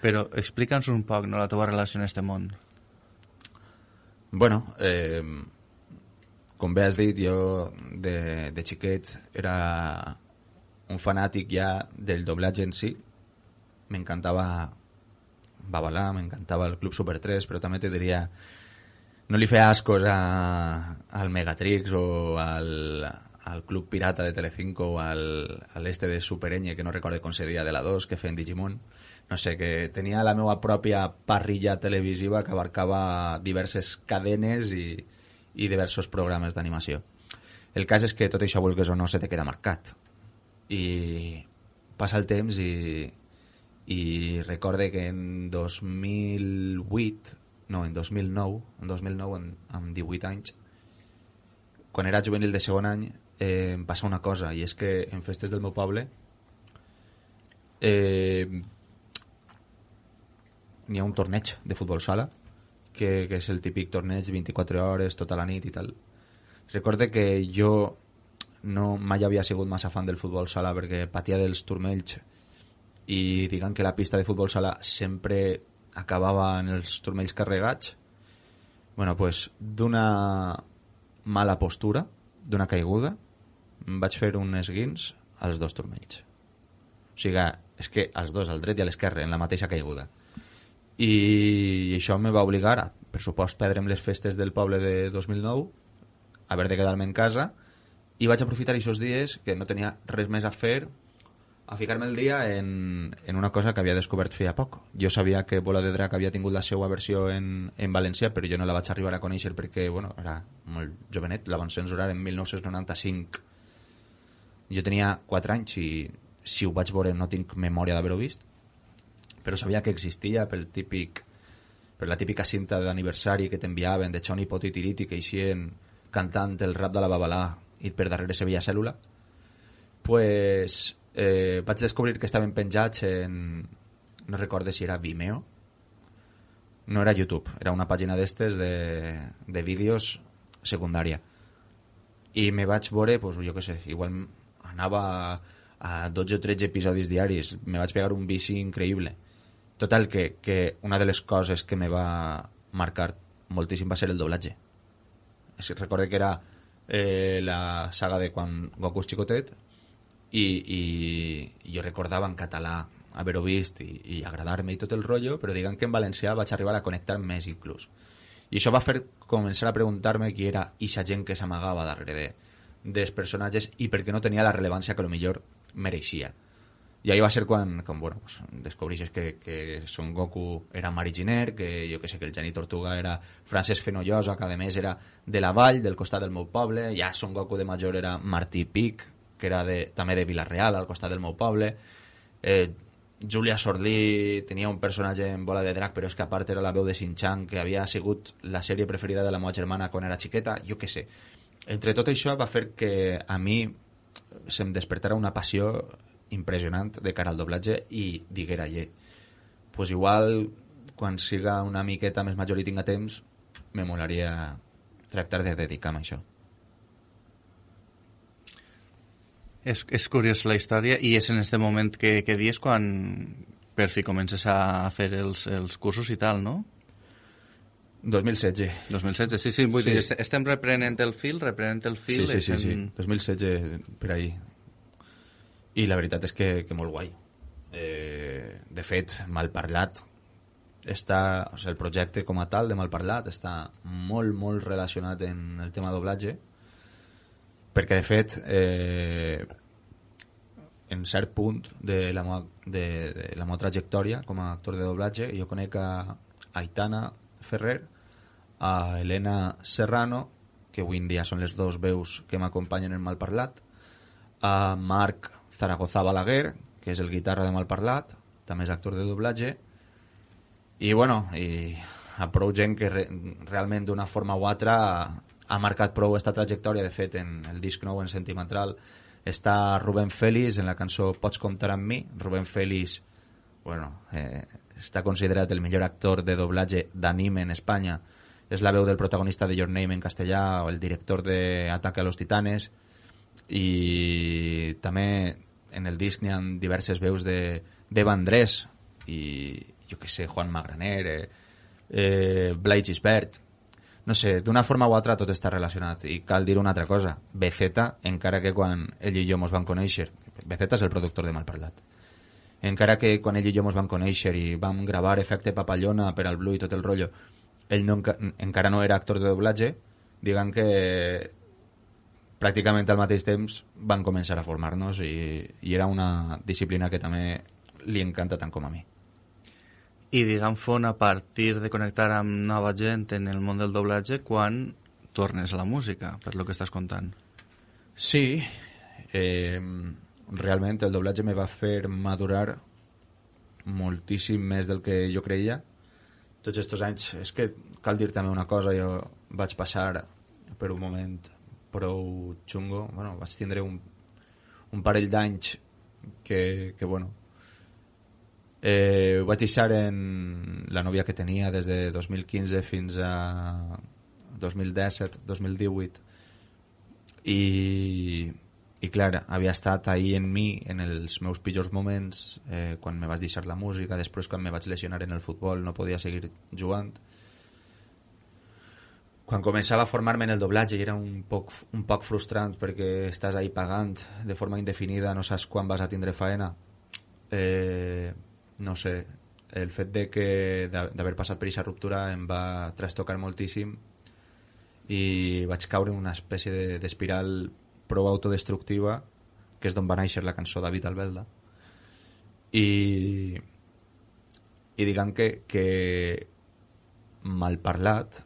Però explica'ns un poc, no?, la teva relació en aquest món. Bueno, eh, com bé has dit, jo de, de xiquet era un fanàtic ja del doblatge en si. M'encantava Babalà, m'encantava el Club Super tres, però també te diria, no li feia ascos a, al Megatrix o al, al Club Pirata de Telecinco o al, al este de Super Ñ, que no recorde com se deia, de la dos, que feien Digimon. No sé, que tenia la meva pròpia parrilla televisiva que abarcava diverses cadenes i, i diversos programes d'animació. El cas és que tot això, vulgues o no, se te queda marcat. I passa el temps i, i recorde que en dos mil vuit, no, en dos mil nou, en dos mil nou, en, amb divuit anys, quan era juvenil de segon any, eh, em passa una cosa, i és que en festes del meu poble eh, n'hi ha un torneig de futbol sala, que, que és el típic torneig vint-i-quatre hores, tota la nit i tal. Recorde que jo no mai havia sigut massa fan del futbol sala perquè patia dels turmells, i diguem que la pista de futbol sala sempre acabava en els turmells carregats. Bueno, pues, d'una mala postura, d'una caiguda, em vaig fer un esguins als dos turmells. O sigui, és que als dos, al dret i a l'esquerre, en la mateixa caiguda. I això me va obligar a, per supost, perdre'm les festes del poble de dos mil nou, haver de quedar-me en casa, i vaig aprofitar aquests dies que no tenia res més a fer, a ficar-me el dia en, en una cosa que havia descobert feia poc. Jo sabia que Bola de Drac havia tingut la seva versió en, en valencià, però jo no la vaig arribar a conèixer perquè, bueno, era molt jovenet, la van censurar en mil nou-cents noranta-cinc. Jo tenia quatre anys i si ho vaig veure no tinc memòria d'haver-ho vist, però sabia que existia pel típic, per la típica cinta d'aniversari que t'enviaven de Choni Poti Tiriti, que eixien cantant el rap de la Babalà i per darrere se veia Cèl·lula. Pues eh, vaig descobrir que estaven penjats en, no recorde si era Vimeo no era YouTube, era una pàgina d'estes de, de vídeos secundària. I me vaig veure, pues, jo què sé, igual anava a, a dotze o tretze episodis diaris, me vaig pegar un vici increïble. Total, que, que una de les coses que me va marcar moltíssim va ser el doblatge. Recorde que era eh, la saga de quan Goku és xicotet i, i jo recordava en català haver-ho vist i, i agradar-me i tot el rotllo, però diguem que en valencià vaig arribar a connectar més inclús. I això va fer començar a preguntar-me qui era ixa gent que s'amagava darrere de, dels personatges i per què no tenia la rellevància que potser mereixia. I ahí va ser quan, quan bueno, pues, descobreixes que, que Son Goku era Mari Giner, que jo que sé que el Geni Tortuga era Francesc Fenollosa, que a més era de la vall, del costat del meu poble, ja Son Goku de major era Martí Pic, que era de, també de Vila-real, al costat del meu poble. Eh, Júlia Sordí tenia un personatge en Bola de Drac, però és que a part era la veu de Shin-Chan, que havia sigut la sèrie preferida de la meva germana quan era xiqueta, jo què sé. Entre tot això va fer que a mi se'm despertara una passió impressionant de cara al doblatge i diguera, ye, pues igual quan siga una miqueta més major i tinga temps me molaria tractar de dedicar-me a això. És, és curiós la història i és en este moment que, que dius quan per fi comences a fer els, els cursos i tal, no? dos mil setze. dos mil setze, sí, sí, vull sí. dir, estem reprenent el fil, reprenent el fil... Sí, sí, sí, en... sí, dos mil setze per ahí. I la veritat és que, que molt guai. Eh, de fet, Malparlat està, o sigui, el projecte com a tal de Malparlat està molt, molt relacionat en el tema doblatge, perquè de fet eh, en cert punt de la meva, de, de la meva trajectòria com a actor de doblatge jo conec a Aitana Ferrer, a Elena Serrano, que avui en dia són les dos veus que m'acompanyen en Malparlat, a Marc Zaragoza Balaguer, que és el guitarra de Malparlat, també és actor de doblatge, i bueno, i a prou gent que re, realment d'una forma o altra ha marcat prou esta trajectòria. De fet, en el disc nou, en Sentimental, està Rubén Félix en la cançó Pots comptar amb mi. Rubén Félix, bueno, eh, està considerat el millor actor de doblatge d'anime en Espanya. És la veu del protagonista de Your Name en castellà, o el director de Ataque a los Titanes, i també en el disc n'hi ha diverses veus de d'Eva Andrés i jo que sé, Juan Magraner, eh, eh, Blai Gisbert. No sé, d'una forma o altra tot està relacionat. I cal dir una altra cosa, B Z, encara que quan ell i jo mos van conèixer, B Z és el productor de Malparlat, encara que quan ell i jo mos van conèixer i vam gravar Efecte Papallona per al Blue i tot el rotllo, ell no, encara no era actor de doblatge, diguem que pràcticament al mateix temps van començar a formar-nos i, i era una disciplina que també li encanta tant com a mi. I diguem, Fon, a partir de connectar amb nova gent en el món del doblatge, quan tornes a la música, per lo que estàs contant? Sí, eh, realment el doblatge me va fer madurar moltíssim més del que jo creia. Tots aquests anys, és que cal dir també una cosa, jo vaig passar per un moment prou xungo, bueno, vaig tindre un, un parell d'anys que, que bueno, eh, vaig deixar en la nòvia que tenia des de dos mil quinze fins a dos mil disset, dos mil divuit, i, i clar, havia estat ahí en mi en els meus pitjors moments, eh, quan me vaig deixar la música, després quan me vaig lesionar en el futbol no podia seguir jugant. Quan començava a formar-me en el doblatge era un poc, un poc frustrant perquè estàs ahí pagant de forma indefinida, no saps quan vas a tindre faena. Eh, no sé, el fet de que d'haver passat per aquesta ruptura em va trastocar moltíssim i vaig caure en una espècie d'espiral prou autodestructiva, que és d'on va néixer la cançó David Albelda. I, i diguem que, que Malparlat,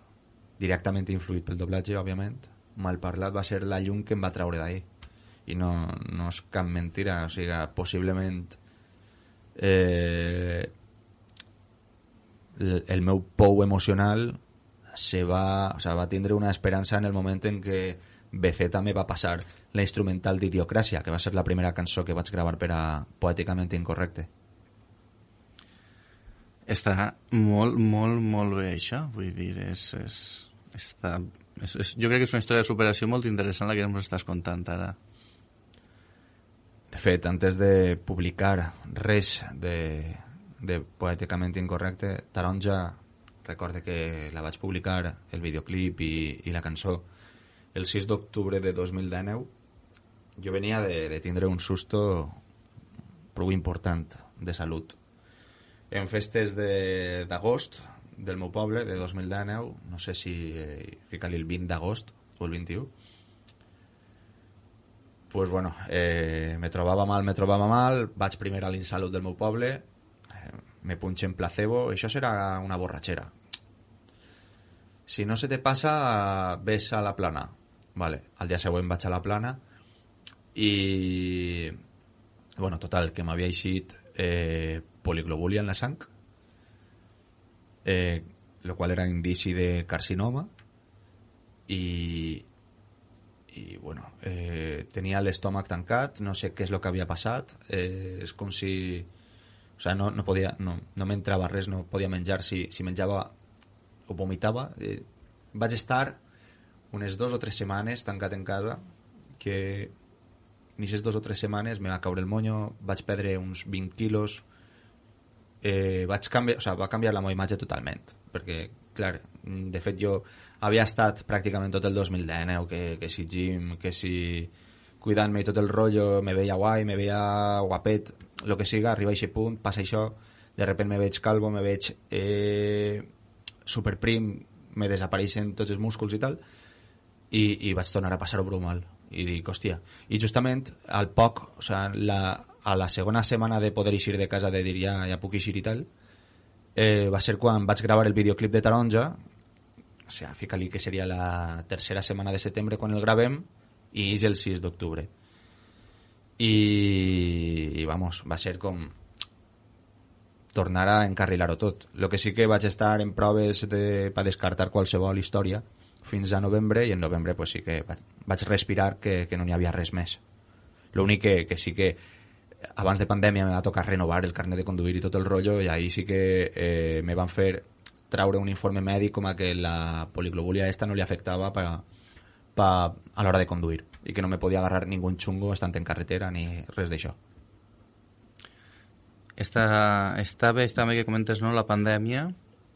directament influït pel doblatge, òbviament, Malparlat va ser la llum que em va treure d'ahí. I no, no és cap mentira, o sigui, possiblement eh, el, el meu pou emocional se va, o sea, va tindre una esperança en el moment en què B Z me va passar la instrumental d'Idiocràcia, que va ser la primera cançó que vaig gravar per a Poèticament Incorrecte. Està molt, molt, molt bé això, vull dir, és, és, està, és, és, jo crec que és una història de superació molt interessant la que ens estàs contant ara. De fet, antes de publicar res de, de Poèticament Incorrecte, Taronja, recorde que la vaig publicar, el videoclip i, i la cançó, el sis d'octubre de dos mil dinou. Jo venia de, de tindre un susto prou important de salut. En festes d'agost de, del meu poble, de dos mil dinou, no sé si eh, fica-li el vint d'agost o el vint-i-u, pues bueno, eh, me trobava mal, me trobava mal, vaig primer a l'Insalut del meu poble, eh, me punxen placebo, això serà una borratxera. Si no se te passa, ves a la plana. Vale, al dia següent vaig a la plana i... bueno, total, que m'havia eixit eh, poliglobúlia en la sang, eh, lo qual era indici de carcinoma, i, i bueno, eh, tenia l'estómac tancat, no sé què és el que havia passat, eh, és com si... O sea, no, no, podia, no, no m'entrava res, no podia menjar, si, si menjava o vomitava. Eh, vaig estar unes dos o tres setmanes tancat en casa, que en aquestes dos o tres setmanes me va caure el monyo, vaig perdre uns vint quilos, eh, vaig canviar, o sigui, va canviar la meva imatge totalment, perquè, clar, de fet jo havia estat pràcticament tot el dos mil dinou, que, que si gym, que si cuidant-me i tot el rotllo, me veia guai, me veia guapet, el que siga, arriba a aquest punt, passa això, de repente me veig calvo, me veig eh, superprim, me desapareixen tots els músculs i tal, i, i vaig tornar a passar-ho prou mal. I dic, hòstia, i justament al poc, o sigui, la, a la segona setmana de poder eixir de casa, de dir ja, ja puc eixir i tal, eh, va ser quan vaig gravar el videoclip de Taronja, o sigui, fica-li que seria la tercera setmana de setembre quan el gravem, i és el sis d'octubre. I, i vamos, va ser com tornar a encarrilar-ho tot. El que sí que vaig estar en proves de, per descartar qualsevol història fins a novembre, i en novembre pues, sí que vaig respirar que, que no n'hi havia res més. L'únic que, que sí que abans de pandèmia me va tocar renovar el carnet de conduir i tot el rotllo, i ahí sí que eh, me van fer traure un informe mèdic com a que la poliglobúlia esta no li afectava pa, pa, a l'hora de conduir, i que no me podia agarrar ningú xungo estant en carretera ni res d'això. Està, està bé també que comentes, no, la pandèmia,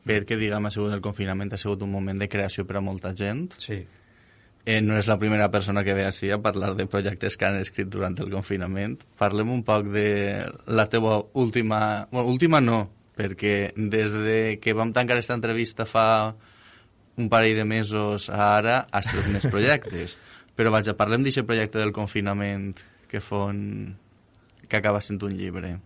perquè, diguem, ha sigut el confinament, ha sigut un moment de creació per a molta gent. Sí. Eh, no és la primera persona que ve així a parlar de projectes que han escrit durant el confinament. Parlem un poc de la teva última... Bueno, última no, perquè des de que vam tancar aquesta entrevista fa un parell de mesos a ara has tret més projectes. Però vaja, parlem d'aquest projecte del confinament que fon... que acaba sent un llibre.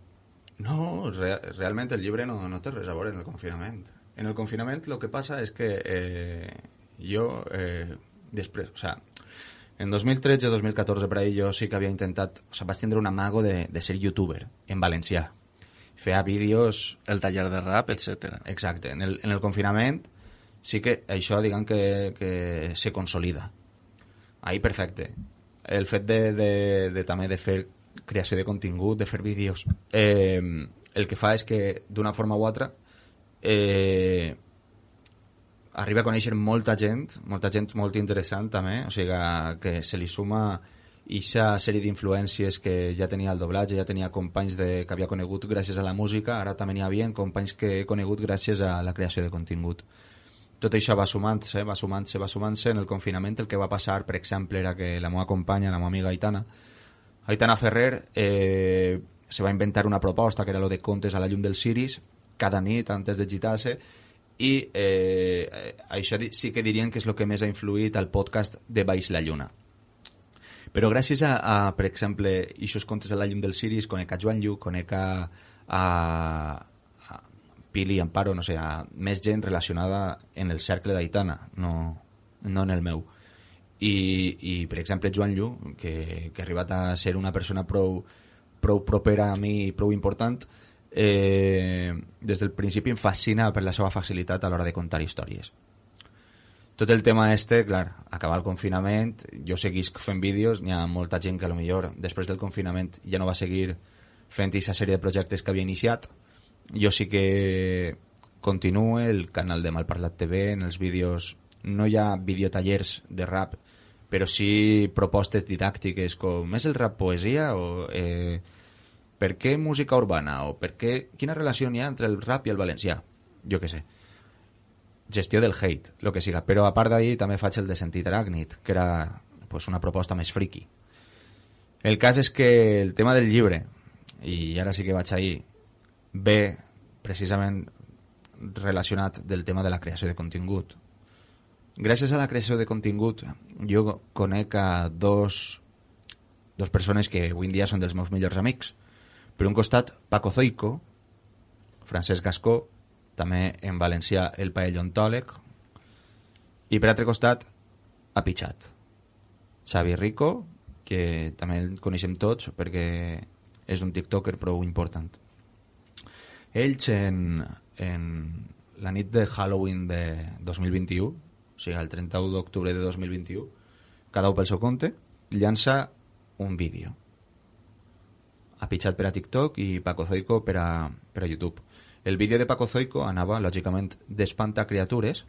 No, re realment el llibre no, no té res a veure en el confinament. En el confinament el que passa és que eh, jo... Eh, després, o sea, en dos mil tretze o dos mil catorze per ahí jo sí que havia intentat, o sea, vaig tindre un amago de, de ser youtuber en valencià, feia vídeos, el taller de rap, etcètera. Exacte, en el, en el confinament sí que això diguem que, que se consolida ahí, perfecte. El fet de, de, de també de fer creació de contingut, de fer vídeos, eh, el que fa és que d'una forma u altra eh, arriba a conèixer molta gent, molta gent molt interessant també, o sigui que se li suma aquesta sèrie d'influències que ja tenia el doblatge, ja tenia companys de, que havia conegut gràcies a la música, ara també n'hi havia companys que he conegut gràcies a la creació de contingut. Tot això va sumant-se, va sumant-se, va sumant-se. En el confinament el que va passar, per exemple, era que la meva companya, la meva amiga Aitana, Aitana Ferrer, eh, se va inventar una proposta que era lo de contes a la llum dels ciris, cada nit antes de gitar-se, i eh, això sí que dirien que és el que més ha influït al podcast de Baix la Lluna. Però gràcies a, a per exemple, aquests contes a la llum dels ciris, conec a Joan Lluc, conec a, a, a Pili, Amparo, no sé, a més gent relacionada en el cercle d'Aitana, no, no en el meu. I, i per exemple, Joan Lluc, que, que ha arribat a ser una persona prou, prou propera a mi i prou important, Eh, des del principi em fascina per la seva facilitat a l'hora de contar històries. Tot el tema este, clar, acabar el confinament, jo seguisc fent vídeos, n'hi ha molta gent que a lo millor després del confinament ja no va seguir fent aquesta sèrie de projectes que havia iniciat, jo sí que continuo el canal de Malparlat T V, en els vídeos no hi ha videotallers de rap, però sí propostes didàctiques com és el rap poesia o eh, per què música urbana o per què, quina relació hi ha entre el rap i el valencià, jo què sé, gestió del hate, el que siga, però a part d'ahir també faig el de Sentit Aràcnid, que era pues, una proposta més friki. El cas és que el tema del llibre, i ara sí que vaig ahir, ve precisament relacionat del tema de la creació de contingut. Gràcies a la creació de contingut jo conec a dos, dos persones que avui en dia són dels meus millors amics. Per un costat, Paco Zoico, Francesc Gascó, també en valencià el paellontòleg, i per altre costat, Apichat. Xavi Rico, que també el coneixem tots perquè és un tiktoker prou important. Ells en, en la nit de Halloween de dos mil vint-i-u, o sigui, el trenta-u d'octubre de dos mil vint-i-u, cada un pel seu compte, llança un vídeo. Apichat per a TikTok i Paco Zoico per a, per a YouTube. El vídeo de Paco Zoico anava, lògicament, d'espantar criatures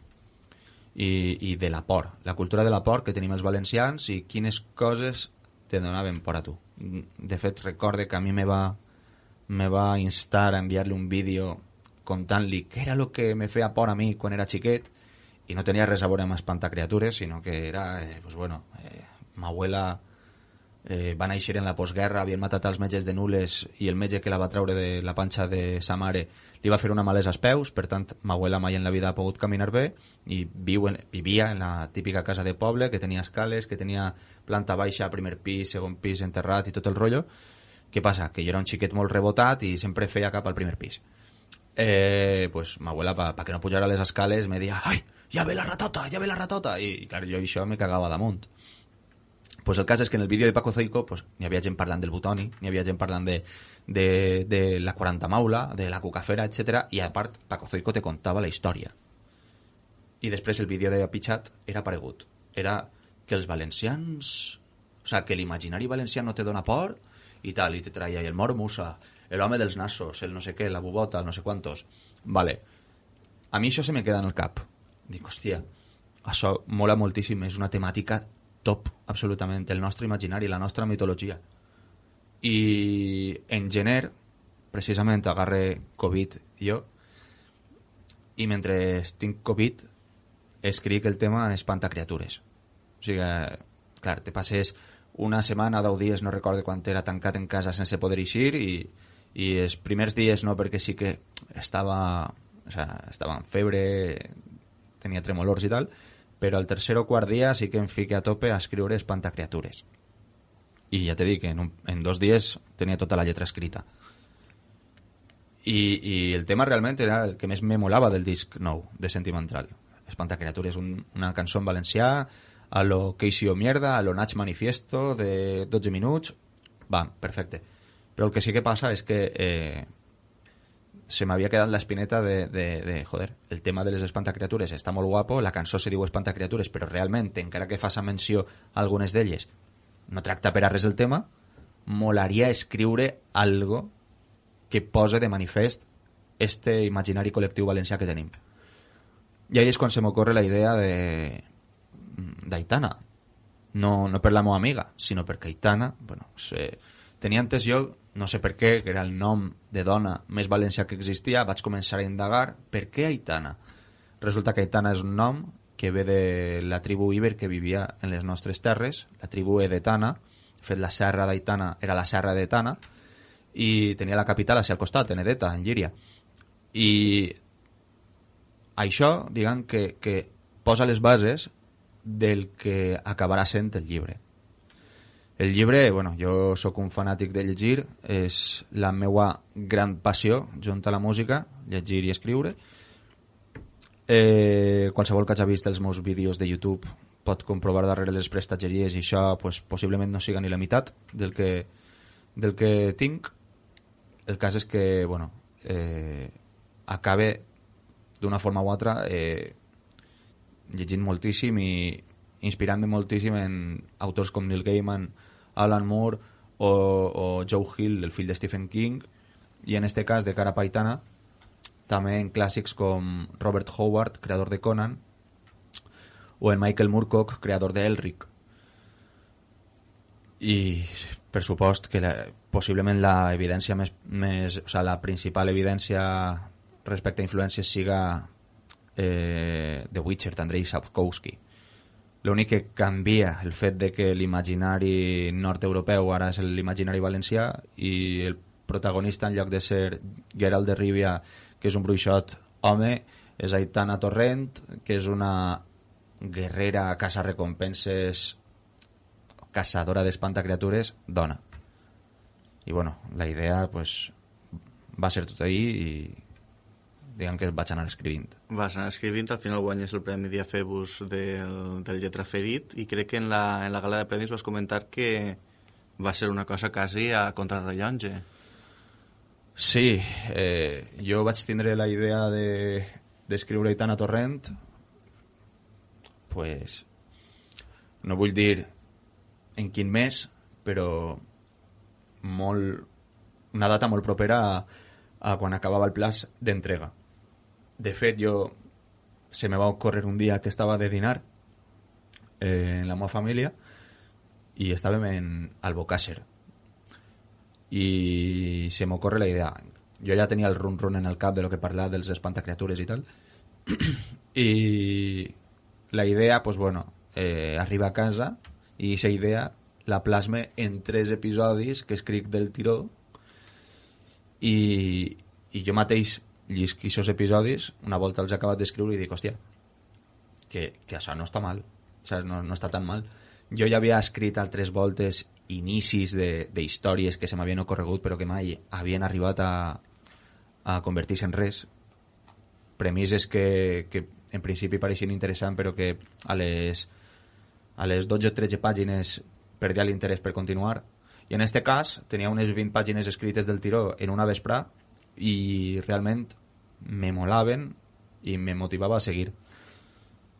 i, i de la por, la cultura de la por que tenim els valencians i quines coses te donaven por a tu. De fet, recorde que a mi me va, me va instar a enviar-li un vídeo contant-li què era el que me feia por a mi quan era xiquet, i no tenia res a veure amb espantar criatures, sinó que era, eh, pues bueno, eh, ma abuela eh, va néixer en la postguerra, havien matat els metges de Nules i el metge que la va treure de la panxa de sa mare li va fer una malesa als peus, per tant, ma abuela mai en la vida ha pogut caminar bé i viu en, vivia en la típica casa de poble que tenia escales, que tenia planta baixa, primer pis, segon pis enterrat i tot el rotllo. Què passa? Que jo era un xiquet molt rebotat i sempre feia cap al primer pis. Eh, pues ma abuela, pa, pa que no pujara les escales, me deia, ai, ja ve la ratota, ja ve la ratota, i, i clar, jo això me cagava damunt. Pues el cas és que en el vídeo de Paco Zoico pues, n'hi havia gent parlant del Butoni, n'hi havia gent parlant de, de, de la quaranta maula, de la cucafera, etcètera, i a part Paco Zoico te contava la història. I després el vídeo de Apichat era paregut. Era que els valencians... O sigui, que l'imaginari valencià no te dona por i tal, i te traia el Moro Musa, l'home dels nassos, el no sé què, la bubota, el no sé quantos. Vale. A mi això se me queda en el cap. Dic, hòstia, això mola moltíssim, és una temàtica top, absolutament, el nostre imaginari, la nostra mitologia. I en gener, precisament, agarre Covid jo, i mentre tinc Covid escric el tema espantacriatures. O sigui, clar, te passes una setmana, deu dies, no recordo quan era, tancat en casa sense poder eixir, i, i els primers dies no, perquè sí que estava, o sea, estava en febre, tenia tremolors i tal, però el tercer o quart dia sí que em fique a tope a escriure espantacriatures. I ja t'he dit que en, un, en dos dies tenia tota la lletra escrita. I, i el tema realment era el que més me molava del disc nou, de Sentimental. Espantacriatures, un, una cançó en valencià, a lo que hizo mierda, a lo Nach Manifiesto, de dotze minuts, va, perfecte. Però el que sí que passa és que eh, se m'havia quedat l'espineta de, de, de, joder, el tema de les espantacriatures està molt guapo, la cançó se diu espantacriatures, però realment, encara que faça menció a algunes d'elles, no tracta per a res el tema, molaria escriure algo que pose de manifest este imaginari col·lectiu valencià que tenim. I ahí és quan se m'ocorre la idea de d'Aitana. No, no per la meva amiga, sinó perquè Aitana, bueno, se, tenia antes jo, no sé per què, que era el nom de dona més valencià que existia, vaig començar a indagar per què Aitana. Resulta que Aitana és un nom que ve de la tribu Iber que vivia en les nostres terres, la tribu Edetana. De fet, la serra d'Aitana era la serra d'Etana i tenia la capital hacia el costat, en Edeta, en Llíria. I això, diguem, que, que posa les bases del que acabarà sent el llibre. El llibre, bueno, jo sóc un fanàtic de llegir, és la meua gran passió, junt a la música, llegir i escriure. Eh, qualsevol que hagi vist els meus vídeos de YouTube pot comprovar darrere les prestatgeries i això pues, possiblement no siga ni la meitat del que, del que tinc. El cas és que, bueno, eh, acabe d'una forma u altra eh, llegint moltíssim i inspirant-me moltíssim en autors com Neil Gaiman, Alan Moore o, o Joe Hill, el fill de Stephen King, i en este cas de cara a Aitana també en clàssics com Robert Howard, creador de Conan, o en Michael Moorcock, creador de Elric. I per supost que la, possiblement la evidència més, més, o sigui, la principal evidència respecte a influències siga eh, The Witcher d'Andrei Sapkowski. L'únic que canvia el fet de que l'imaginari nord-europeu ara és l'imaginari valencià i el protagonista, en lloc de ser Geralt de Rivia, que és un bruixot home, és Aitana Torrent, que és una guerrera caça-recompenses, caçadora d'espantacriatures, dona. I bueno, la idea pues, va ser tot ahir i diguem que vaig anar escrivint. Vas anar escrivint, al final guanyes el Premi Diafebus del, del Lletra Ferit i crec que en la, en la gala de premis vas comentar que va ser una cosa quasi a contrarrellotge. Sí, eh, jo vaig tindre la idea de d'escriure Aitana Torrent, pues no vull dir en quin mes, però molt, una data molt propera a, a quan acabava el plaç d'entrega. De fet, jo se me va ocórrer un dia que estava de dinar eh, en la meva família i estàvem en Albocàsser i se m'ocorre la idea. Jo ja tenia el run-run en el cap de lo que parlava dels espantacriatures i tal, i la idea, pues bueno, eh, arriba a casa i aquesta idea la plasme en tres episodis que escric del tiró i, i jo mateix llisc aquests episodis, una volta els he acabat d'escriure i dic, hòstia, que, que això no està mal, saps? No, no està tan mal. Jo ja havia escrit altres voltes inicis d'històries que se m'havien ocorregut però que mai havien arribat a, a convertir-se en res, premisses que, que en principi pareixien interessants però que a les, a les dotze o tretze pàgines perdia l'interès per continuar, i en aquest cas tenia unes vint pàgines escrites del tiró en una vesprà i realment me molaven i me motivava a seguir.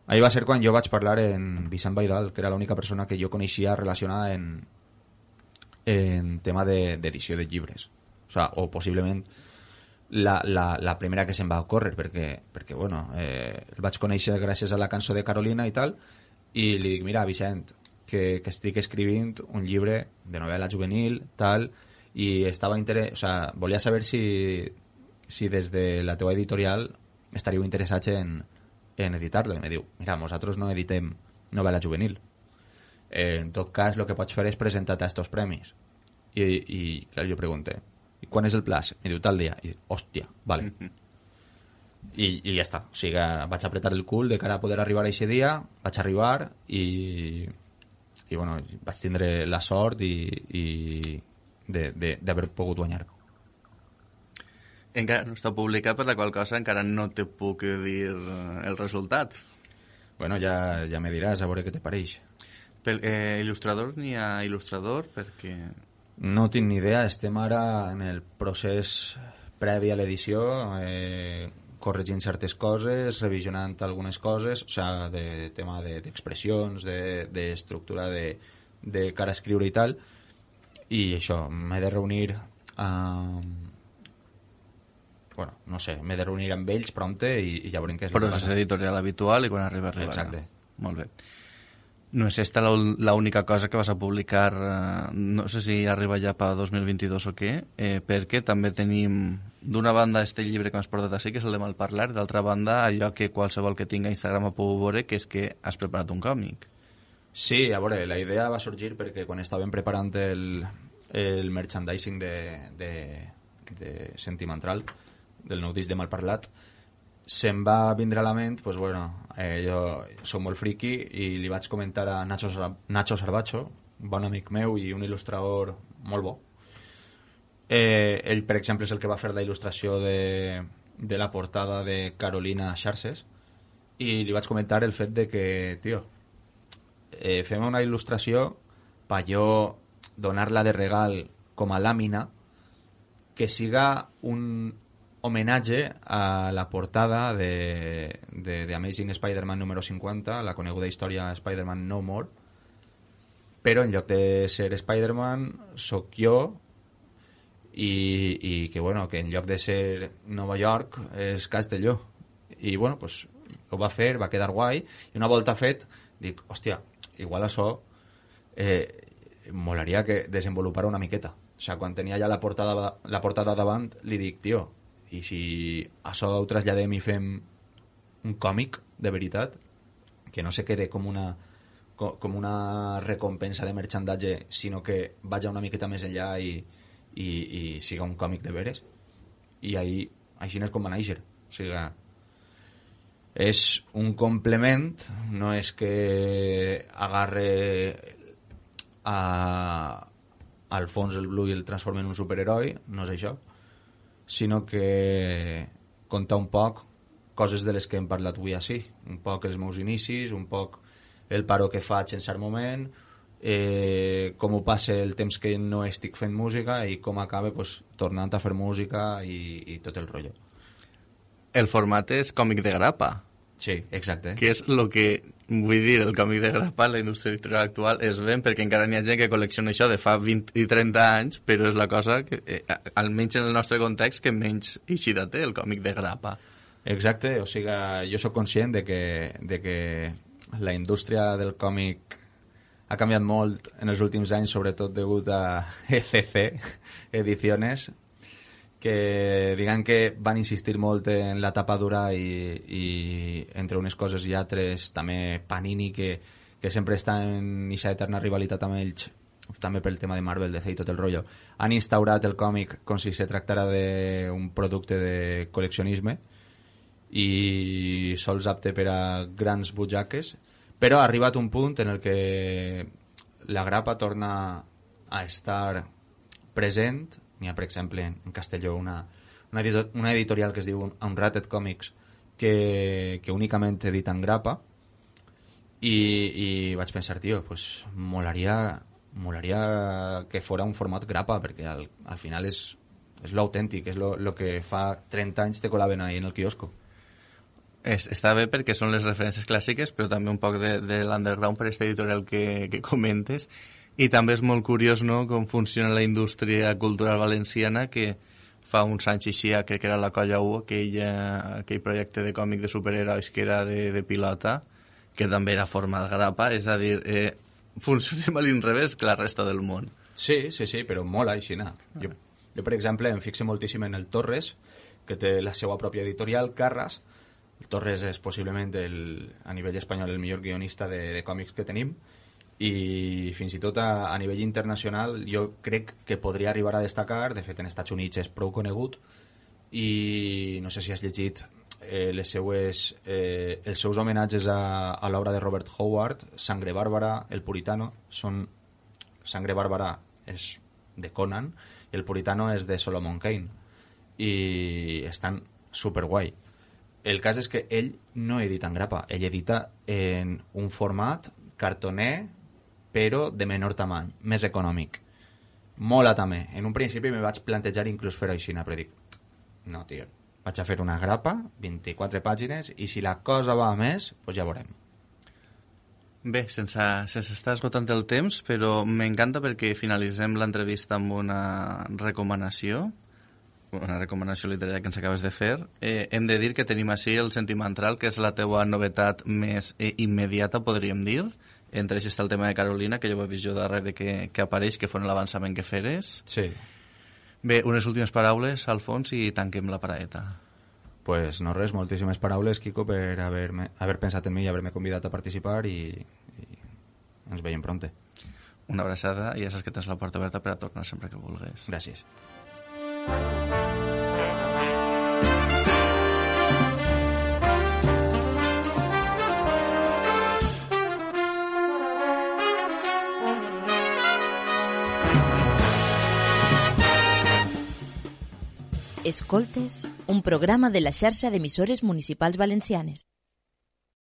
Ahí va ser quan jo vaig parlar en Vicent Baidal, que era l'única persona que jo coneixia relacionada en, en tema d'edició de, de llibres. O sea, o possiblement la, la, la primera que se'm va ocórrer, perquè, perquè bueno, eh, el vaig conèixer gràcies a la cançó de Carolina i tal, i li dic, mira, Vicent, que, que estic escrivint un llibre de novel·la juvenil, tal, i estava interès... O sea, volia saber si, si des de la teua editorial estaríeu interessats en, en editar-lo. I em diu, mira, nosaltres no editem novel·la juvenil. Eh, en tot cas, el que pots fer és presentar-te a estos premis. I, i clar, jo pregunté, i quan és el plaç? Em diu, tal dia. I dic, hòstia, vale. Mm-hmm. I, i ja està. O sigui, vaig apretar el cul de cara a poder arribar a aquest dia, vaig arribar i, i bueno, vaig tindre la sort i, i d'haver pogut guanyar. Encara no està publicat, per la qual cosa encara no te puc dir el resultat. Bueno, ja, ja me diràs, a veure què te pareix. Pel, eh, il·lustrador n'hi ha il·lustrador? Perquè... No tinc ni idea, estem ara en el procés previ a l'edició, eh, corregint certes coses, revisionant algunes coses, o sigui, de tema d'expressions, de, d'estructura de, de cara a escriure i tal, i això, m'he de reunir amb... bueno, no sé, m'he de reunir amb ells prompte i, i ja veurem què és el que passa. Procés editorial habitual i quan arriba, arriba. Exacte. Molt bé. No és esta l'única cosa que vas a publicar, eh, no sé si arriba ja per dos mil vint-i-dos o què, eh, perquè també tenim d'una banda este llibre que m'has portat així, que és el de Malparlar, d'altra banda allò que qualsevol que tinga Instagram ho pugui veure, que és que has preparat un còmic. Sí, a veure, la idea va sorgir perquè quan estàvem preparant el, el merchandising de, de, de Sentimental, del nou disc de Malparlat, se'm va vindre a la ment, pues bueno, eh, jo soc molt friki i li vaig comentar a Nacho, Nacho Sarbacho, un bon amic meu i un il·lustrador molt bo. Eh, ell, per exemple, és el que va fer la il·lustració de, de la portada de Carolina Xarxes i li vaig comentar el fet de que, tio, eh, fem una il·lustració per jo donar-la de regal com a làmina que siga un homenatge a la portada de, de, de Amazing Spider-Man número cinquanta, la coneguda història Spider-Man No More, però en lloc de ser Spider-Man soc jo i, i que, bueno, que en lloc de ser Nova York és Castelló. I, bueno, pues, ho va fer, va quedar guai, i una volta fet, dic, hòstia, igual això eh, molaria que desenvolupara una miqueta. O sigui, quan tenia ja la portada, la portada davant, li dic, tio, i si això ho traslladem i fem un còmic, de veritat, que no se quede com una, com una recompensa de merchandatge, sinó que vagi una miqueta més enllà i, i, i siga un còmic de veres. I ahí, així és com va néixer. O sigui, és un complement, no és que agarre a, al fons el Blue i el transforma en un superheroi, no és això, sinó que conta un poc coses de les que hem parlat avui així, un poc els meus inicis, un poc el paro que faig en cert moment, eh, com ho passa el temps que no estic fent música i com acaba pues, tornant a fer música i, i tot el rotllo. El format és còmic de grapa. Sí, exacte. Que és el que, vull dir, el còmic de grapa en la indústria editorial actual és ben, perquè encara n'hi ha gent que col·lecciona això de fa vint i trenta anys, però és la cosa que, eh, almenys en el nostre context, que menys eixida té el còmic de grapa. Exacte, o sigui, jo sóc conscient de que, de que la indústria del còmic ha canviat molt en els últims anys, sobretot degut a E C C Ediciones, que diguem que van insistir molt en la tapa dura i, i entre unes coses i altres també Panini, que, que sempre està en aquesta eterna rivalitat amb ells, també pel tema de Marvel, D C i tot el rotllo, han instaurat el còmic com si se tractara d'un producte de col·leccionisme i sols apte per a grans butxaques, però ha arribat un punt en el que la grapa torna a estar present. N'hi ha, per exemple, en Castelló una, una, editor, una editorial que es diu Unrated Comics que, que únicament edita en grapa i, i vaig pensar, tio, pues molaria, molaria que fora un format grapa, perquè al, al final és, és l'autèntic, és lo, lo que fa trenta anys te colaven ahí en el quiosco. Es, està bé perquè són les referències clàssiques, però també un poc de, de l'underground per aquesta editorial que, que comentes. I també és molt curiós, no?, com funciona la indústria cultural valenciana, que fa uns anys així, crec que era la Colla U, aquell, aquell projecte de còmic de superherois que era de, de pilota, que també era format grapa, és a dir, eh, funcionem a l'inrevés que la resta del món. Sí, sí, sí, però mola així, no? Jo, jo, per exemple, em fixo moltíssim en el Torres, que té la seva pròpia editorial, Carras. El Torres és possiblement el, a nivell espanyol el millor guionista de, de còmics que tenim, i fins i tot a, a nivell internacional jo crec que podria arribar a destacar. De fet, en Estats Units és prou conegut, i no sé si has llegit eh, les seues, eh, els seus homenatges a, a l'obra de Robert Howard, Sangre Bàrbara, El Puritano. Són, Sangre Bàrbara és de Conan i El Puritano és de Solomon Kane, i estan superguai. El cas és que ell no edita en grapa, ell edita en un format cartoner, però de menor tamany, més econòmic. Mola també. En un principi me vaig plantejar inclús fer així, però dic, no, tio, vaig a fer una grapa, vint-i-quatre pàgines, i si la cosa va a més, doncs ja veurem. Bé, sense, sense estar esgotant el temps, però m'encanta perquè finalitzem l'entrevista amb una recomanació, una recomanació literària que ens acabes de fer. Eh, hem de dir que tenim així el Sentimental, que és la teua novetat més eh, immediata, podríem dir. Entre ells està el tema de Carolina, que jo ho he vist jo darrere que, que apareix, que fos l'avançament que feres. Sí. Bé, unes últimes paraules, Alfons, i tanquem la paraeta. Pues no res, moltíssimes paraules, Quico, per haver, haver pensat en mi i haver-me convidat a participar, i, i ens veiem pronte. Una abraçada, i ja saps que tens la porta oberta per a tornar sempre que vulguis. Gràcies. Escoltes, un programa de la xarxa d'emissores municipals valencianes.